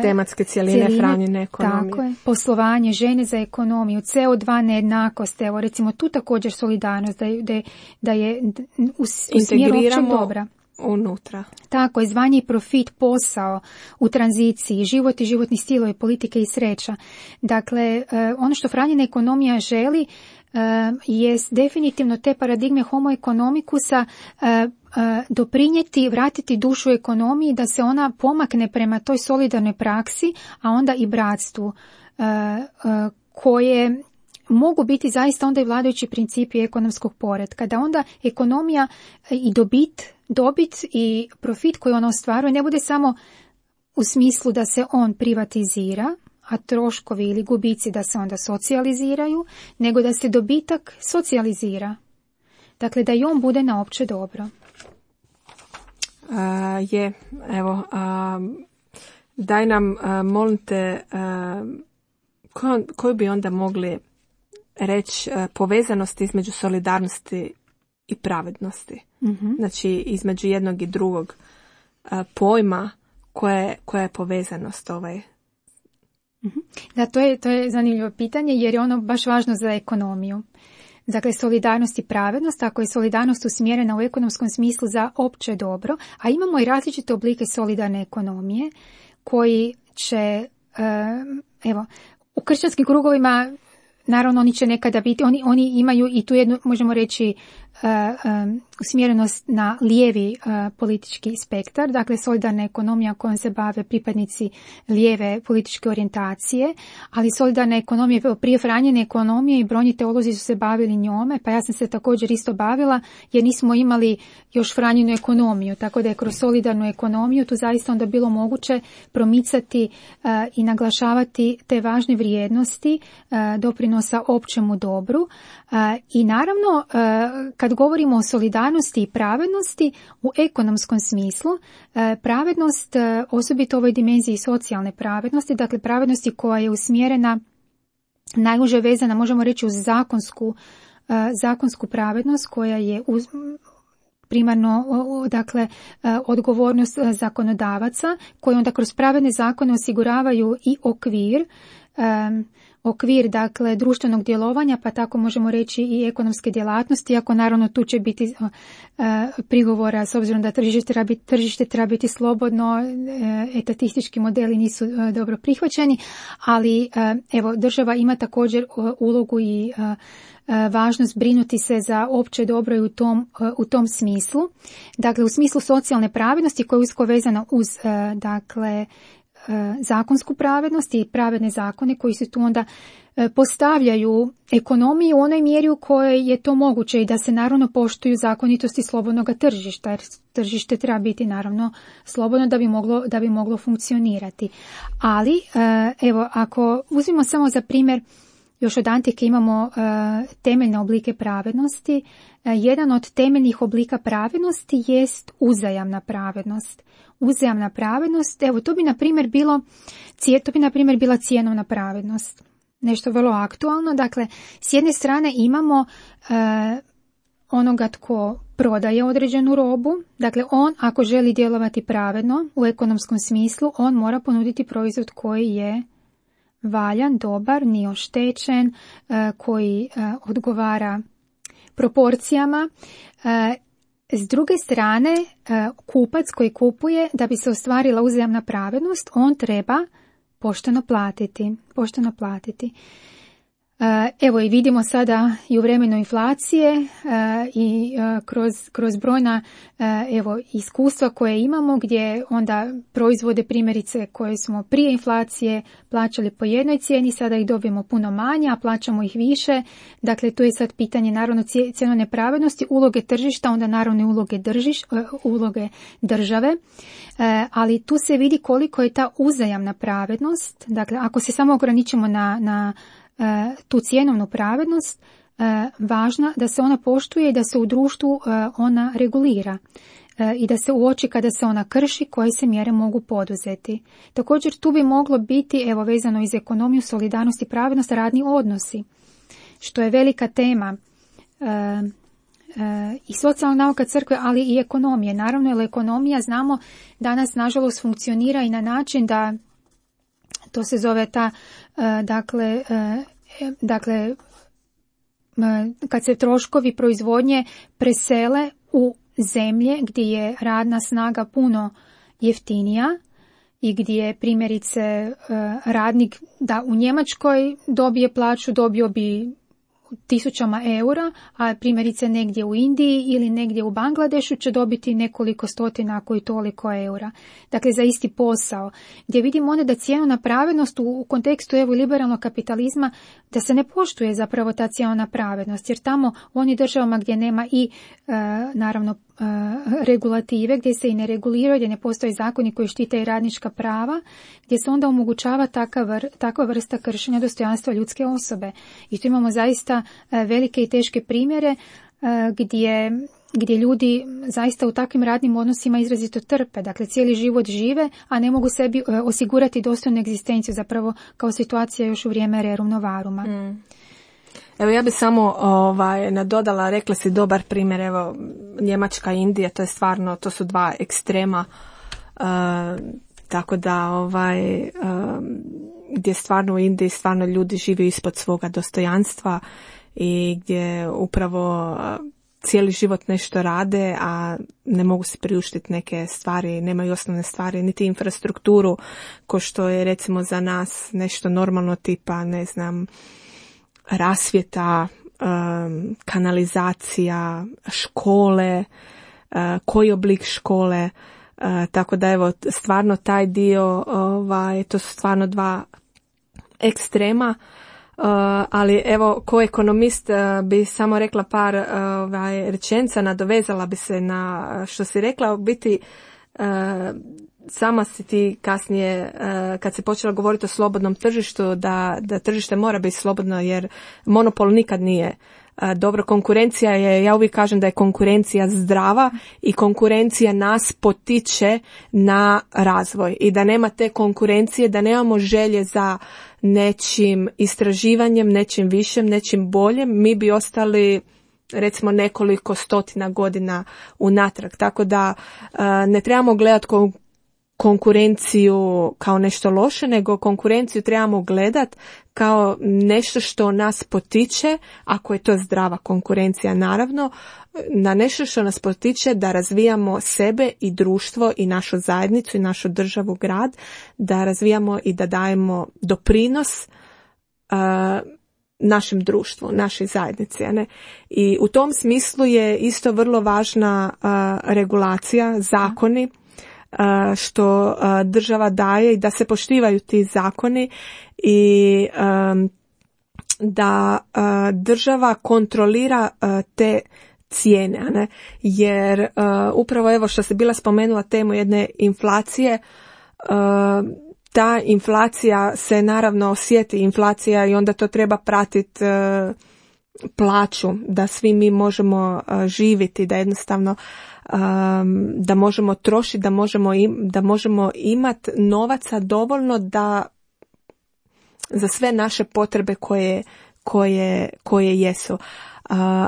Tematske cijeline Franjine ekonomije. Tako je, poslovanje, žene za ekonomiju, CO2 nejednakost, evo recimo tu također solidarnost, da je u smjeru općeg dobra. Unutra. Tako je, zvanje i profit, posao u tranziciji, život i životni stilovi, politike i sreća. Dakle, ono što Franjina ekonomija želi je definitivno te paradigme homo economicusa doprinijeti, vratiti dušu ekonomiji, da se ona pomakne prema toj solidarnoj praksi, a onda i bratstvu, koje mogu biti zaista onda i vladajući principi ekonomskog poretka, da onda ekonomija i dobit i profit koji ona ostvaruje ne bude samo u smislu da se on privatizira, a troškovi ili gubici da se onda socijaliziraju, nego da se dobitak socijalizira. Dakle, da i on bude na opće dobro. Daj nam, molim te, koju bi onda mogli reći povezanost između solidarnosti i pravednosti? Mm-hmm. Znači, između jednog i drugog pojma, koja je povezanost Da, to je zanimljivo pitanje, jer je ono baš važno za ekonomiju. Dakle, solidarnost i pravednost, ako je solidarnost usmjerena u ekonomskom smislu za opće dobro, a imamo i različite oblike solidarne ekonomije koji će, u kršćanskim krugovima, naravno oni će nekada biti, oni imaju i tu jednu, možemo reći, usmjerenost na lijevi politički spektar, dakle solidarna ekonomija kojom se bave pripadnici lijeve političke orijentacije, ali solidarna ekonomija, prije Franjine ekonomije i brojni teolozi su se bavili njome, pa ja sam se također isto bavila, jer nismo imali još Franjinu ekonomiju, tako da je kroz solidarnu ekonomiju tu zaista onda bilo moguće promicati i naglašavati te važne vrijednosti doprinosa općemu dobru. I naravno, kad govorimo o solidarnosti i pravednosti u ekonomskom smislu, pravednost, osobito u ovoj dimenziji socijalne pravednosti, dakle pravednosti koja je usmjerena, najuže vezana, možemo reći, uz zakonsku pravednost koja je primarno, dakle, odgovornost zakonodavaca, koji onda kroz pravedne zakone osiguravaju i okvir, dakle, društvenog djelovanja, pa tako možemo reći i ekonomske djelatnosti, iako naravno tu će biti prigovora s obzirom da tržište treba biti slobodno, etatistički modeli nisu dobro prihvaćeni, ali evo, država ima također ulogu i važnost brinuti se za opće dobro i u tom smislu. Dakle, u smislu socijalne pravednosti koja je usko vezana uz, dakle, zakonsku pravednost i pravedne zakone koji se tu onda postavljaju ekonomiju u onoj mjeri u kojoj je to moguće i da se naravno poštuju zakonitosti slobodnog tržišta, jer tržište treba biti naravno slobodno da bi moglo funkcionirati. Ali, evo, ako uzmemo samo za primjer, još od antike imamo temeljne oblike pravednosti. Jedan od temeljnih oblika pravednosti jest uzajamna pravednost. Uzajamna pravednost, evo, to bi na primjer bila cjenovna pravednost. Nešto vrlo aktualno. Dakle, s jedne strane imamo onoga tko prodaje određenu robu. Dakle, on ako želi djelovati pravedno u ekonomskom smislu, on mora ponuditi proizvod koji je valjan, dobar, nije oštećen, koji odgovara proporcijama. S druge strane, kupac koji kupuje, da bi se ostvarila uzajamna pravednost, on treba pošteno platiti. Evo i vidimo sada i u vremenu inflacije i kroz brojna iskustva koje imamo, gdje onda proizvode primjerice koje smo prije inflacije plaćali po jednoj cijeni, sada ih dobijemo puno manje, a plaćamo ih više. Dakle, to je sad pitanje naravno cjenovne pravednosti, uloge tržišta, onda naravno i uloge države, ali tu se vidi koliko je ta uzajamna pravednost. Dakle, ako se samo ograničimo na tu cjenovnu pravednost, važna da se ona poštuje i da se u društvu ona regulira i da se uoči kada se ona krši, koje se mjere mogu poduzeti. Također tu bi moglo biti, evo vezano iz ekonomiju, solidarnost i pravednost, radni odnosi, što je velika tema i socijalna nauka crkve, ali i ekonomije. Naravno, jer ekonomija, znamo, danas nažalost funkcionira i na način da to se zove ta, dakle, kad se troškovi proizvodnje presele u zemlje gdje je radna snaga puno jeftinija i gdje primjerice radnik da u Njemačkoj dobije plaću, dobio bi 1000 eura, a primjerice negdje u Indiji ili negdje u Bangladešu će dobiti nekoliko stotina, ako i toliko eura. Dakle, za isti posao. Gdje vidimo onda da cjenovna pravednost u kontekstu liberalnog kapitalizma, da se ne poštuje zapravo ta cjenovna pravednost, jer tamo u onim državama gdje nema i naravno regulative, gdje se i ne reguliraju, gdje ne postoje zakoni koji štite i radnička prava, gdje se onda omogućava takva vrsta kršenja dostojanstva ljudske osobe. I tu imamo zaista velike i teške primjere gdje ljudi zaista u takvim radnim odnosima izrazito trpe. Dakle, cijeli život žive, a ne mogu sebi osigurati dostojnu egzistenciju, zapravo kao situacija još u vrijeme rerum novaruma. Evo, ja bi samo nadodala, rekla si dobar primjer, evo, Njemačka i Indija, to je stvarno, to su dva ekstrema, tako da gdje stvarno u Indiji stvarno ljudi žive ispod svoga dostojanstva i gdje upravo cijeli život nešto rade, a ne mogu se priuštiti neke stvari, nemaju osnovne stvari, niti infrastrukturu, ko što je recimo za nas nešto normalno, tipa, ne znam, rasvjeta, kanalizacija, škole, koji oblik škole, tako da evo stvarno taj dio, to su stvarno dva ekstrema, ali evo ko ekonomist bi samo rekla par rečenica, nadovezala bi se na što si rekla, u biti sama si ti kasnije, kad se počela govoriti o slobodnom tržištu, da tržište mora biti slobodno, jer monopol nikad nije dobro. Konkurencija je, ja uvijek kažem da je konkurencija zdrava i konkurencija nas potiče na razvoj i da nema te konkurencije, da nemamo želje za nečim istraživanjem, nečim višem, nečim boljem, mi bi ostali recimo nekoliko stotina godina unatrag. Tako da ne trebamo gledati konkurenciju kao nešto loše, nego konkurenciju trebamo gledati kao nešto što nas potiče, ako je to zdrava konkurencija naravno, na nešto što nas potiče da razvijamo sebe i društvo i našu zajednicu i našu državu, grad, da razvijamo i da dajemo doprinos našem društvu, našoj zajednici. Ne? I u tom smislu je isto vrlo važna regulacija, zakoni, što država daje i da se poštivaju ti zakoni i da država kontrolira te cijene, ne? Jer upravo evo što se bila spomenula temu jedne inflacije, ta inflacija se naravno osjeti, inflacija, i onda to treba pratiti plaću, da svi mi možemo živjeti, da jednostavno da možemo trošiti, da možemo imati novaca dovoljno da za sve naše potrebe koje jesu.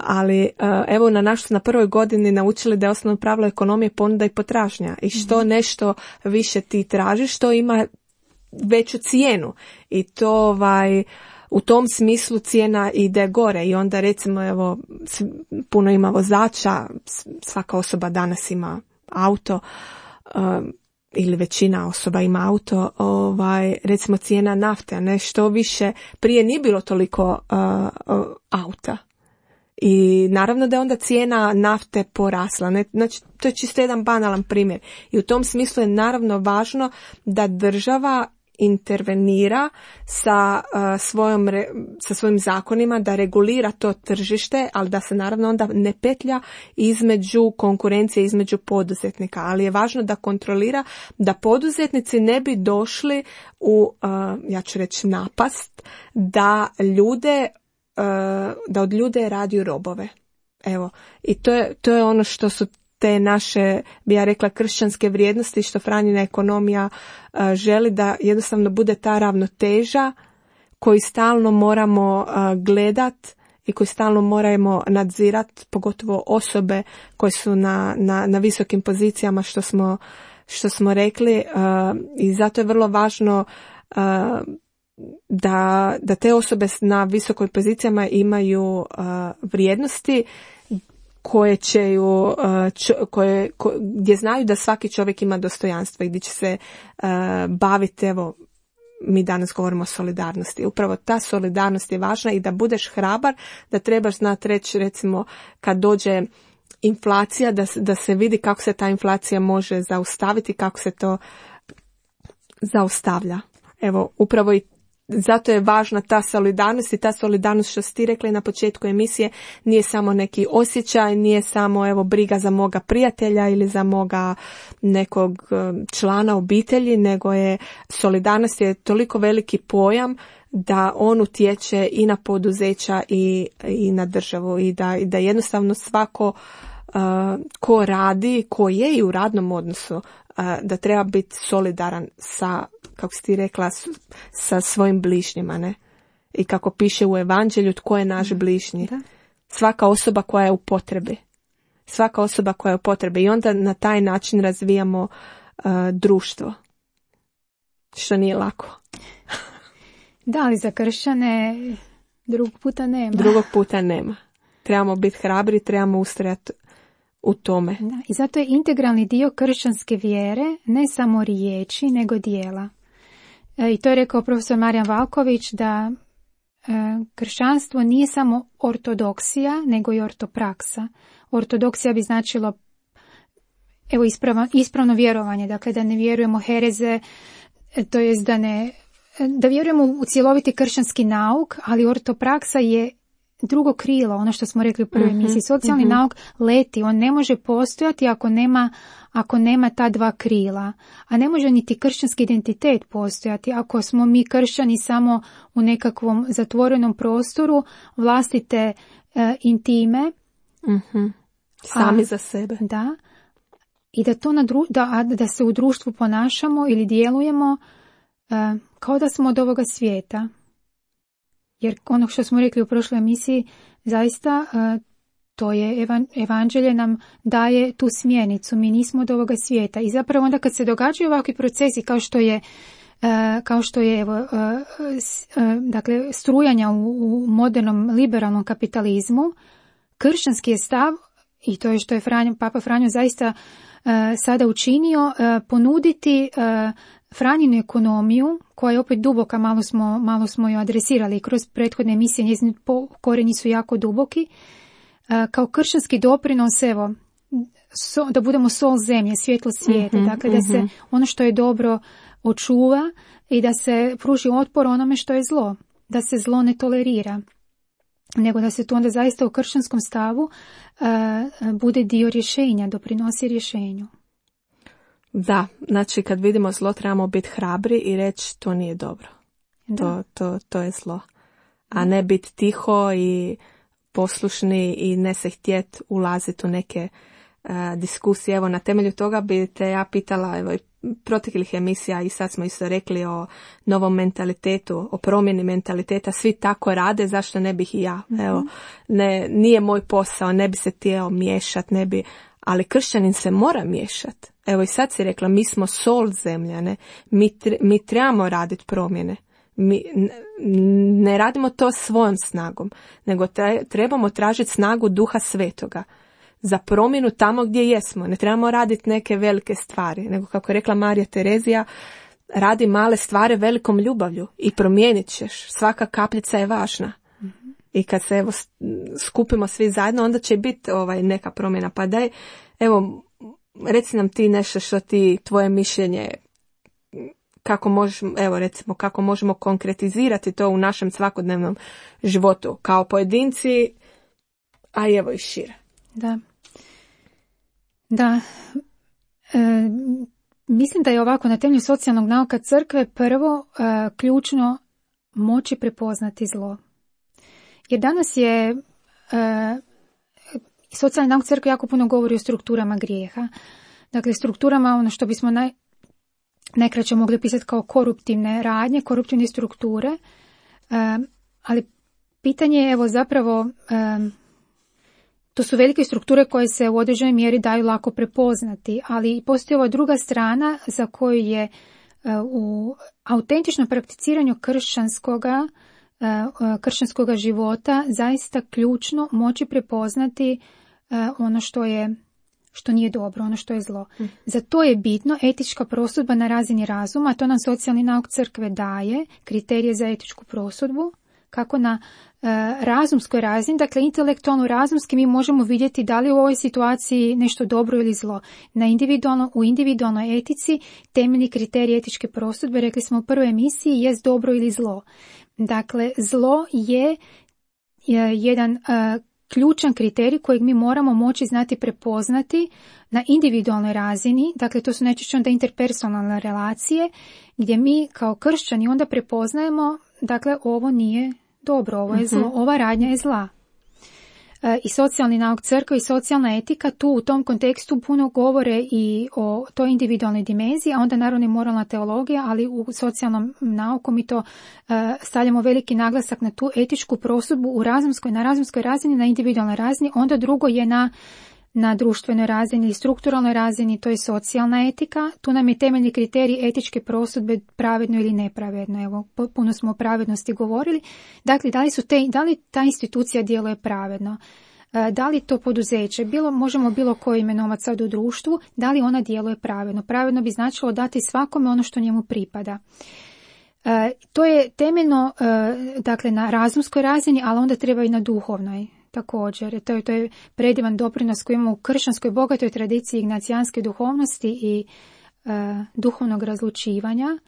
Ali evo na prvoj godini naučili da je osnovno pravilo ekonomije ponuda i potražnja, i što nešto više ti tražiš, što ima veću cijenu, i to u tom smislu cijena ide gore. I onda recimo evo puno ima vozača, svaka osoba danas ima auto, ili većina osoba ima auto, recimo cijena nafte, ne, što više, prije nije bilo toliko auta. I naravno da je onda cijena nafte porasla. Ne? Znači, to je čisto jedan banalan primjer. I u tom smislu je naravno važno da država intervenira sa svojim zakonima, da regulira to tržište, ali da se naravno onda ne petlja između konkurencije, između poduzetnika. Ali je važno da kontrolira da poduzetnici ne bi došli u, ja ću reći, napast, da od ljude radi robove. Evo, i to je ono što su te naše, bi ja rekla, kršćanske vrijednosti, što Franjina ekonomija želi, da jednostavno bude ta ravnoteža koju stalno moramo gledat i koju stalno moramo nadzirat, pogotovo osobe koje su na visokim pozicijama, što smo rekli, i zato je vrlo važno da te osobe na visokoj pozicijama imaju vrijednosti koje gdje znaju da svaki čovjek ima dostojanstvo i gdje će se baviti, evo, mi danas govorimo o solidarnosti. Upravo ta solidarnost je važna, i da budeš hrabar, da trebaš znati reći, recimo, kad dođe inflacija, da se vidi kako se ta inflacija može zaustaviti, kako se to zaustavlja. Evo, upravo i zato je važna ta solidarnost, i ta solidarnost, što si ti rekla na početku emisije, nije samo neki osjećaj, nije samo evo briga za moga prijatelja ili za moga nekog člana obitelji, nego je solidarnost je toliko veliki pojam da on utječe i na poduzeća i na državu, i da jednostavno svako ko radi, ko je i u radnom odnosu, da treba biti solidaran sa, kako si ti rekla, sa svojim bližnjima, ne? I kako piše u Evanđelju, tko je naš bližnji? Da. Svaka osoba koja je u potrebi. Svaka osoba koja je u potrebi. I onda na taj način razvijamo društvo. Što nije lako. Da, ali za kršćane drugog puta nema. Trebamo biti hrabri, trebamo ustrajati u tome. Da, i zato je integralni dio kršćanske vjere ne samo riječi, nego djela. I to je rekao profesor Marijan Valković, da kršćanstvo nije samo ortodoksija, nego i ortopraksa. Ortodoksija bi značilo evo ispravno vjerovanje, dakle da ne vjerujemo hereze, to jest da vjerujemo u cjeloviti kršćanski nauk, ali ortopraksa je drugo krilo, ono što smo rekli u prvoj emisiji. Socijalni nauk leti, on ne može postojati ako nema ta dva krila. A ne može niti kršćanski identitet postojati ako smo mi kršćani samo u nekakvom zatvorenom prostoru vlastite intime. Sami za sebe. Da. I da se u društvu ponašamo ili djelujemo kao da smo od ovoga svijeta. Jer ono što smo rekli u prošloj emisiji, zaista to je Evanđelje nam daje tu smjernicu. Mi nismo od ovoga svijeta. I zapravo onda kad se događaju ovakvi procesi kao što je dakle strujanja u modernom liberalnom kapitalizmu, kršćanski je stav, i to je što je Papa Franjo zaista sada učinio, ponuditi Franjinu ekonomiju, koja je opet duboka, malo smo ju adresirali kroz prethodne emisije, njezini korijeni su jako duboki, kao kršćanski doprinos, evo, da budemo sol zemlje, svjetlo svijeta, dakle da se ono što je dobro očuva i da se pruži otpor onome što je zlo, da se zlo ne tolerira, nego da se to onda zaista u kršćanskom stavu bude dio rješenja, doprinosi rješenju. Da, znači kad vidimo zlo trebamo biti hrabri i reći to nije dobro. To je zlo. A ne biti tiho i poslušni i ne se htjeti ulaziti u neke diskusije. Evo, na temelju toga bi te ja pitala, evo, proteklih emisija i sad smo isto rekli o novom mentalitetu, o promjeni mentaliteta, svi tako rade, zašto ne bih i ja? Evo, nije moj posao, ne bi se htio miješati, ne bi, ali kršćanin se mora miješati. Evo i sad si rekla, mi smo sol zemljane, mi trebamo raditi promjene. Mi ne radimo to svojom snagom, nego trebamo tražiti snagu Duha Svetoga za promjenu tamo gdje jesmo. Ne trebamo raditi neke velike stvari, nego kako je rekla Marija Terezija, radi male stvari velikom ljubavlju i promijenit ćeš. Svaka kapljica je važna. I kad se evo skupimo svi zajedno, onda će biti neka promjena. Pa daj, evo, reci nam ti nešto što tvoje mišljenje, kako možemo konkretizirati to u našem svakodnevnom životu kao pojedinci, a evo i šire. Da. Mislim da je ovako na temelju socijalnog nauka crkve prvo ključno moći prepoznati zlo. Jer danas je socijalni nauk crkve jako puno govori o strukturama grijeha. Dakle, strukturama, ono što bismo najkraće mogli pisati kao koruptivne radnje, koruptivne strukture, ali pitanje je evo zapravo, to su velike strukture koje se u određenoj mjeri daju lako prepoznati, ali postoji ova druga strana za koju je u autentičnom prakticiranju kršćanskoga života zaista ključno moći prepoznati ono što nije dobro, ono što je zlo. Za to je bitno etička prosudba na razini razuma, a to nam socijalni nauk crkve daje, kriterije za etičku prosudbu, kako na razumskoj razini, dakle intelektualno razumski mi možemo vidjeti da li u ovoj situaciji nešto dobro ili zlo. U individualnoj etici temeljni kriterij etičke prosudbe, rekli smo u prvoj emisiji, jest dobro ili zlo. Dakle, zlo je jedan ključan kriterij kojeg mi moramo moći znati prepoznati na individualnoj razini, dakle to su najčešće onda interpersonalne relacije, gdje mi kao kršćani onda prepoznajemo, dakle ovo nije dobro, ovo je zlo, ova radnja je zla. I socijalni nauk crkve i socijalna etika tu u tom kontekstu puno govore i o toj individualnoj dimenziji, a onda naravno i moralna teologija, ali u socijalnom nauku mi to stavljamo veliki naglasak na tu etičku prosudbu na razumskoj razini, na individualnoj razini, onda drugo je na društvenoj razini ili strukturalnoj razini, to je socijalna etika. Tu nam je temeljni kriterij etičke prosudbe pravedno ili nepravedno. Evo, puno smo o pravednosti govorili. Dakle, da li ta institucija djeluje pravedno? Da li to poduzeće, možemo bilo koje imenovati sad u društvu, da li ona djeluje pravedno? Pravedno bi značilo dati svakome ono što njemu pripada. To je temeljno, dakle, na razumskoj razini, ali onda treba i na duhovnoj. Također, to je predivan doprinos koji imamo u kršćanskoj bogatoj tradiciji ignacijanske duhovnosti i duhovnog razlučivanja,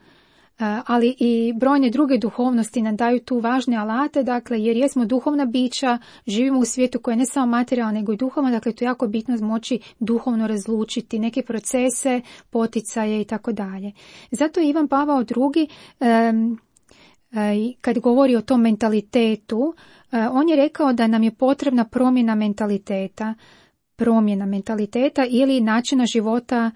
ali i brojne druge duhovnosti nam daju tu važne alate, dakle, jer jesmo duhovna bića, živimo u svijetu koje je ne samo materijalno, nego i duhovno, dakle, to je jako bitno moći duhovno razlučiti neke procese, poticaje i tako dalje. Zato je Ivan Pavao II, kad govori o tom mentalitetu, on je rekao da nam je potrebna promjena mentaliteta ili načina života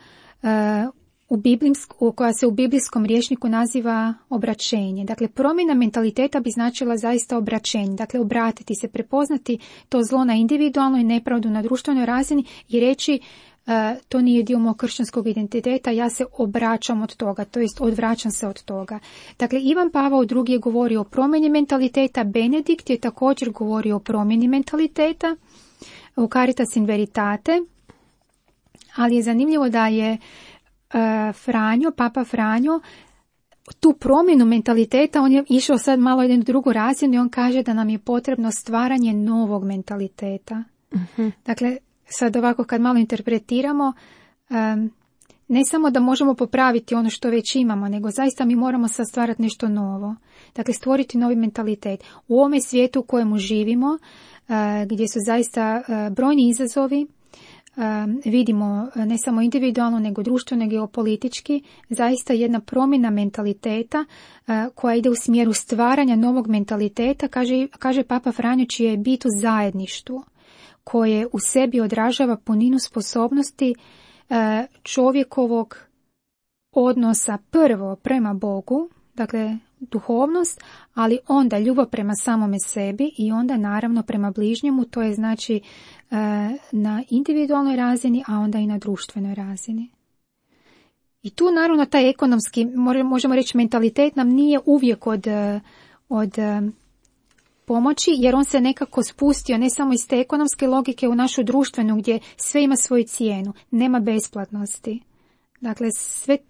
koja se u biblijskom rječniku naziva obraćenje. Dakle, promjena mentaliteta bi značila zaista obraćenje. Dakle, obratiti se, prepoznati to zlo na individualnoj, nepravdu na društvenoj razini i reći to nije dio mog kršćanskog identiteta, ja se obraćam od toga, to jest odvraćam se od toga. Dakle, Ivan Pavao II je govorio o promjeni mentaliteta, Benedikt je također govorio o promjeni mentaliteta u Caritas in Veritate, ali je zanimljivo da je Papa Franjo, tu promjenu mentaliteta, on je išao sad malo jednu drugu razinu i on kaže da nam je potrebno stvaranje novog mentaliteta. Dakle, sad ovako kad malo interpretiramo, ne samo da možemo popraviti ono što već imamo, nego zaista mi moramo sad stvarati nešto novo. Dakle, stvoriti novi mentalitet. U ovome svijetu u kojemu živimo, gdje su zaista brojni izazovi, vidimo ne samo individualno, nego društveno, geopolitički, zaista jedna promjena mentaliteta koja ide u smjeru stvaranja novog mentaliteta, kaže Papa Franjo, čije je bit u zajedništvu, koje u sebi odražava puninu sposobnosti čovjekovog odnosa prvo prema Bogu, dakle duhovnost, ali onda ljubav prema samome sebi i onda naravno prema bližnjemu, to je znači na individualnoj razini, a onda i na društvenoj razini. I tu naravno taj ekonomski, možemo reći mentalitet nam nije uvijek od pomoći, jer on se nekako spustio ne samo iz te ekonomske logike u našu društvenu, gdje sve ima svoju cijenu, nema besplatnosti. Dakle,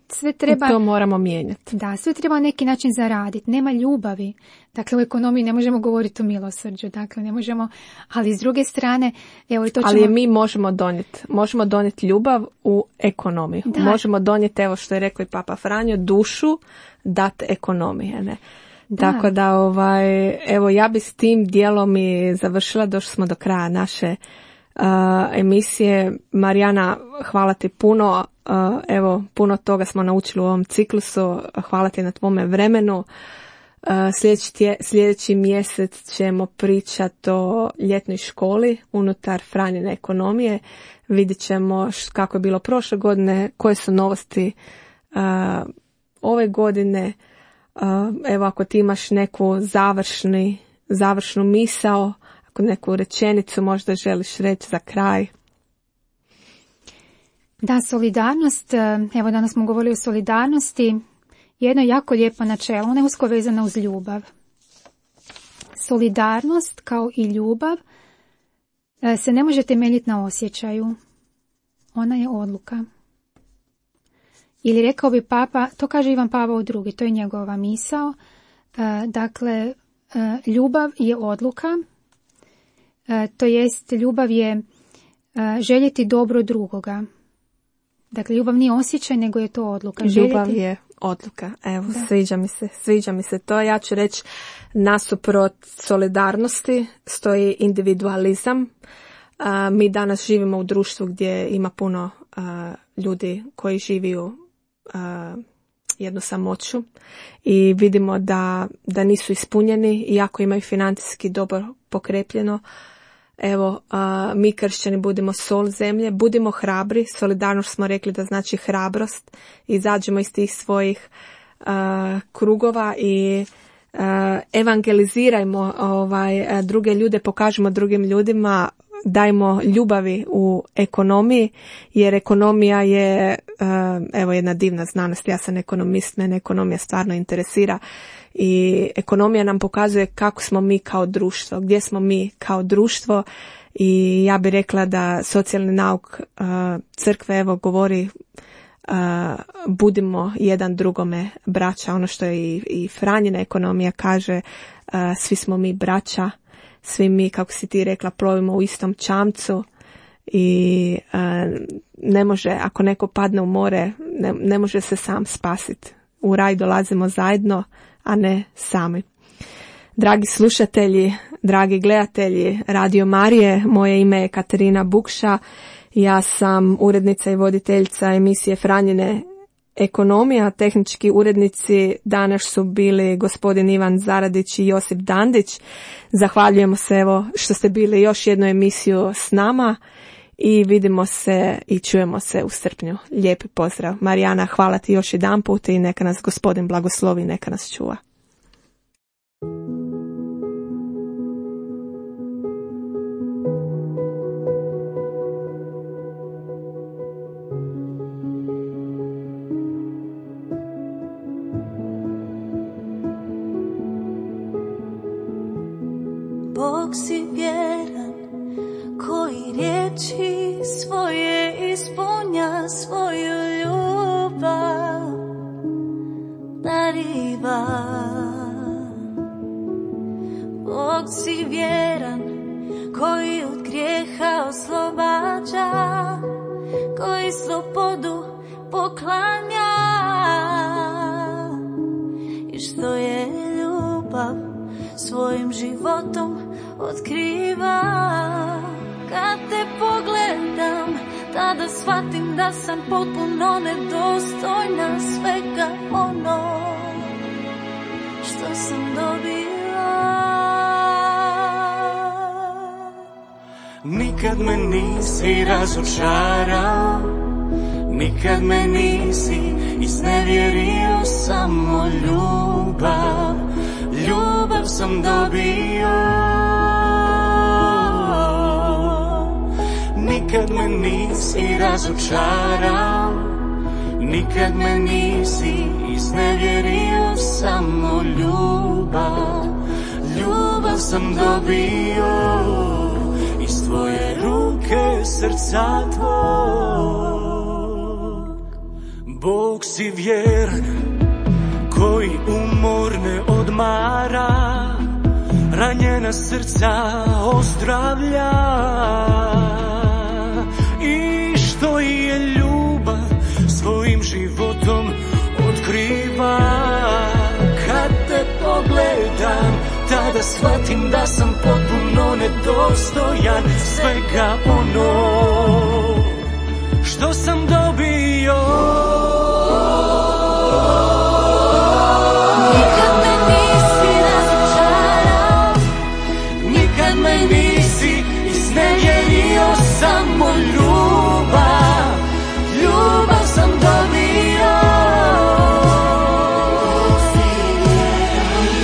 sve treba... I to moramo mijenjati. Da, sve treba na neki način zaraditi. Nema ljubavi. Dakle, u ekonomiji ne možemo govoriti o milosrđu. Dakle, ne možemo... Ali s druge strane... Evo, to ćemo... Ali mi možemo donijeti ljubav u ekonomiju. Da. Možemo donijeti, evo što je rekao i Papa Franjo, dušu dat ekonomije, ne? Da. Tako da, evo, ja bi s tim dijelom i završila, došli smo do kraja naše emisije. Marijana, hvala ti puno. Evo, puno toga smo naučili u ovom ciklusu. Hvala ti na tvome vremenu. Sljedeći mjesec ćemo pričati o ljetnoj školi unutar Franjine ekonomije. Vidjet ćemo kako je bilo prošle godine, koje su novosti ove godine. Evo, ako ti imaš neku završnu misao, ako neku rečenicu možda želiš reći za kraj. Da, solidarnost, evo danas smo govorili o solidarnosti, jedno jako lijepo načelo, ona je usko vezana uz ljubav. Solidarnost kao i ljubav se ne može temeljiti na osjećaju, ona je odluka. Ili rekao bi Papa, to kaže Ivan Pavao II, to je njegova misao, dakle ljubav je odluka, to jest ljubav je željeti dobro drugoga. Dakle, ljubav nije osjećaj, nego je to odluka. Ljubav je odluka. Evo, da. Sviđa mi se to. Ja ću reći, nasuprot solidarnosti stoji individualizam. Mi danas živimo u društvu gdje ima puno ljudi koji živiju jednu samoću i vidimo da nisu ispunjeni, iako imaju financijski dobro pokrepljeno. Evo, mi kršćani budimo sol zemlje, budimo hrabri. Solidarnost smo rekli da znači hrabrost. Izađemo iz tih svojih krugova i evangelizirajmo druge ljude, pokažemo drugim ljudima, dajmo ljubavi u ekonomiji, jer ekonomija je evo jedna divna znanost. Ja sam ekonomist, mene ekonomija stvarno interesira i ekonomija nam pokazuje kako smo mi kao društvo, gdje smo mi kao društvo i ja bih rekla da socijalni nauk crkve evo govori budimo jedan drugome braća, ono što je i Franjina ekonomija kaže, svi smo mi braća, svi mi, kako si ti rekla, plovimo u istom čamcu i ne može, ako neko padne u more, ne može se sam spasiti. U raj dolazimo zajedno, a ne sami. Dragi slušatelji, dragi gledatelji Radio Marije, moje ime je Katarina Bukša, ja sam urednica i voditeljica emisije Franjine ekonomija. Tehnički urednici danas su bili gospodin Ivan Zaradić i Josip Dandić. Zahvaljujemo se evo što ste bili još jednu emisiju s nama i vidimo se i čujemo se u srpnju. Lijepi pozdrav. Marijana, hvala ti još jedanput i neka nas gospodin blagoslovi, neka nas čuva. Bog si vjeran, koji riječi svoje ispunja, svoju ljubav dariva. Bog si vjeran, koji od grijeha oslobađa, poklanja i što je ljubav svojim životom otkriva. Kad te pogledam, tada shvatim da sam potpuno nedostojna svega ono što sam dobila. Nikad me nisi razočarao, nikad me nisi iznevjerio, samo ljubav, ljubav sam dobio. Nikad me nisi razočarao, nikad me nisi iznevjerio, samo ljubav, ljubav sam dobio. Iz tvoje ruke, srca tvog. Bog si vjeran, koji umor ne odmara, ranjena srca ozdravlja. I što je ljubav svojim životom otkriva. Kad te pogledam, tada shvatim da sam potpuno nedostojan svega ono što sam dobio. Nikad me nisi razočarao, Nikad me nisi iznevjerio, samo ljubav, ljubav sam dobio.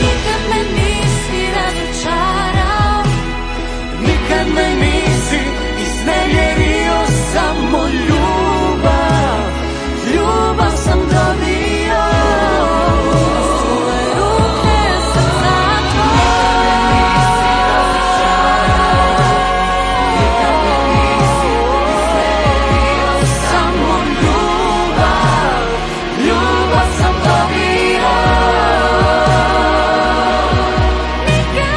nikad me nisi razočarao, Nikad me nisi iznevjerio, samo ljubav, ljubav sam dobio. svoje ruke srca Samo ljubav, ljubav sam dobio. Nikad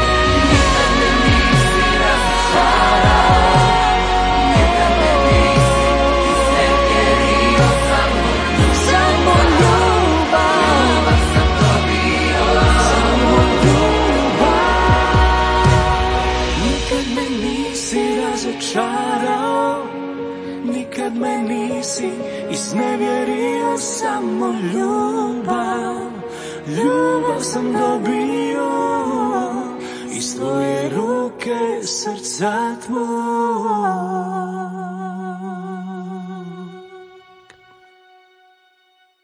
me nisi razočarao, nikad me nisi iznevjerio, samo ljubav sam dobio. Samo ljubav. Nikad me nisi razočarao, nikad me nisi iznevjerio, samo ljubav, ljubav sam dobio. Iz tvoje ruke, srca tvoj.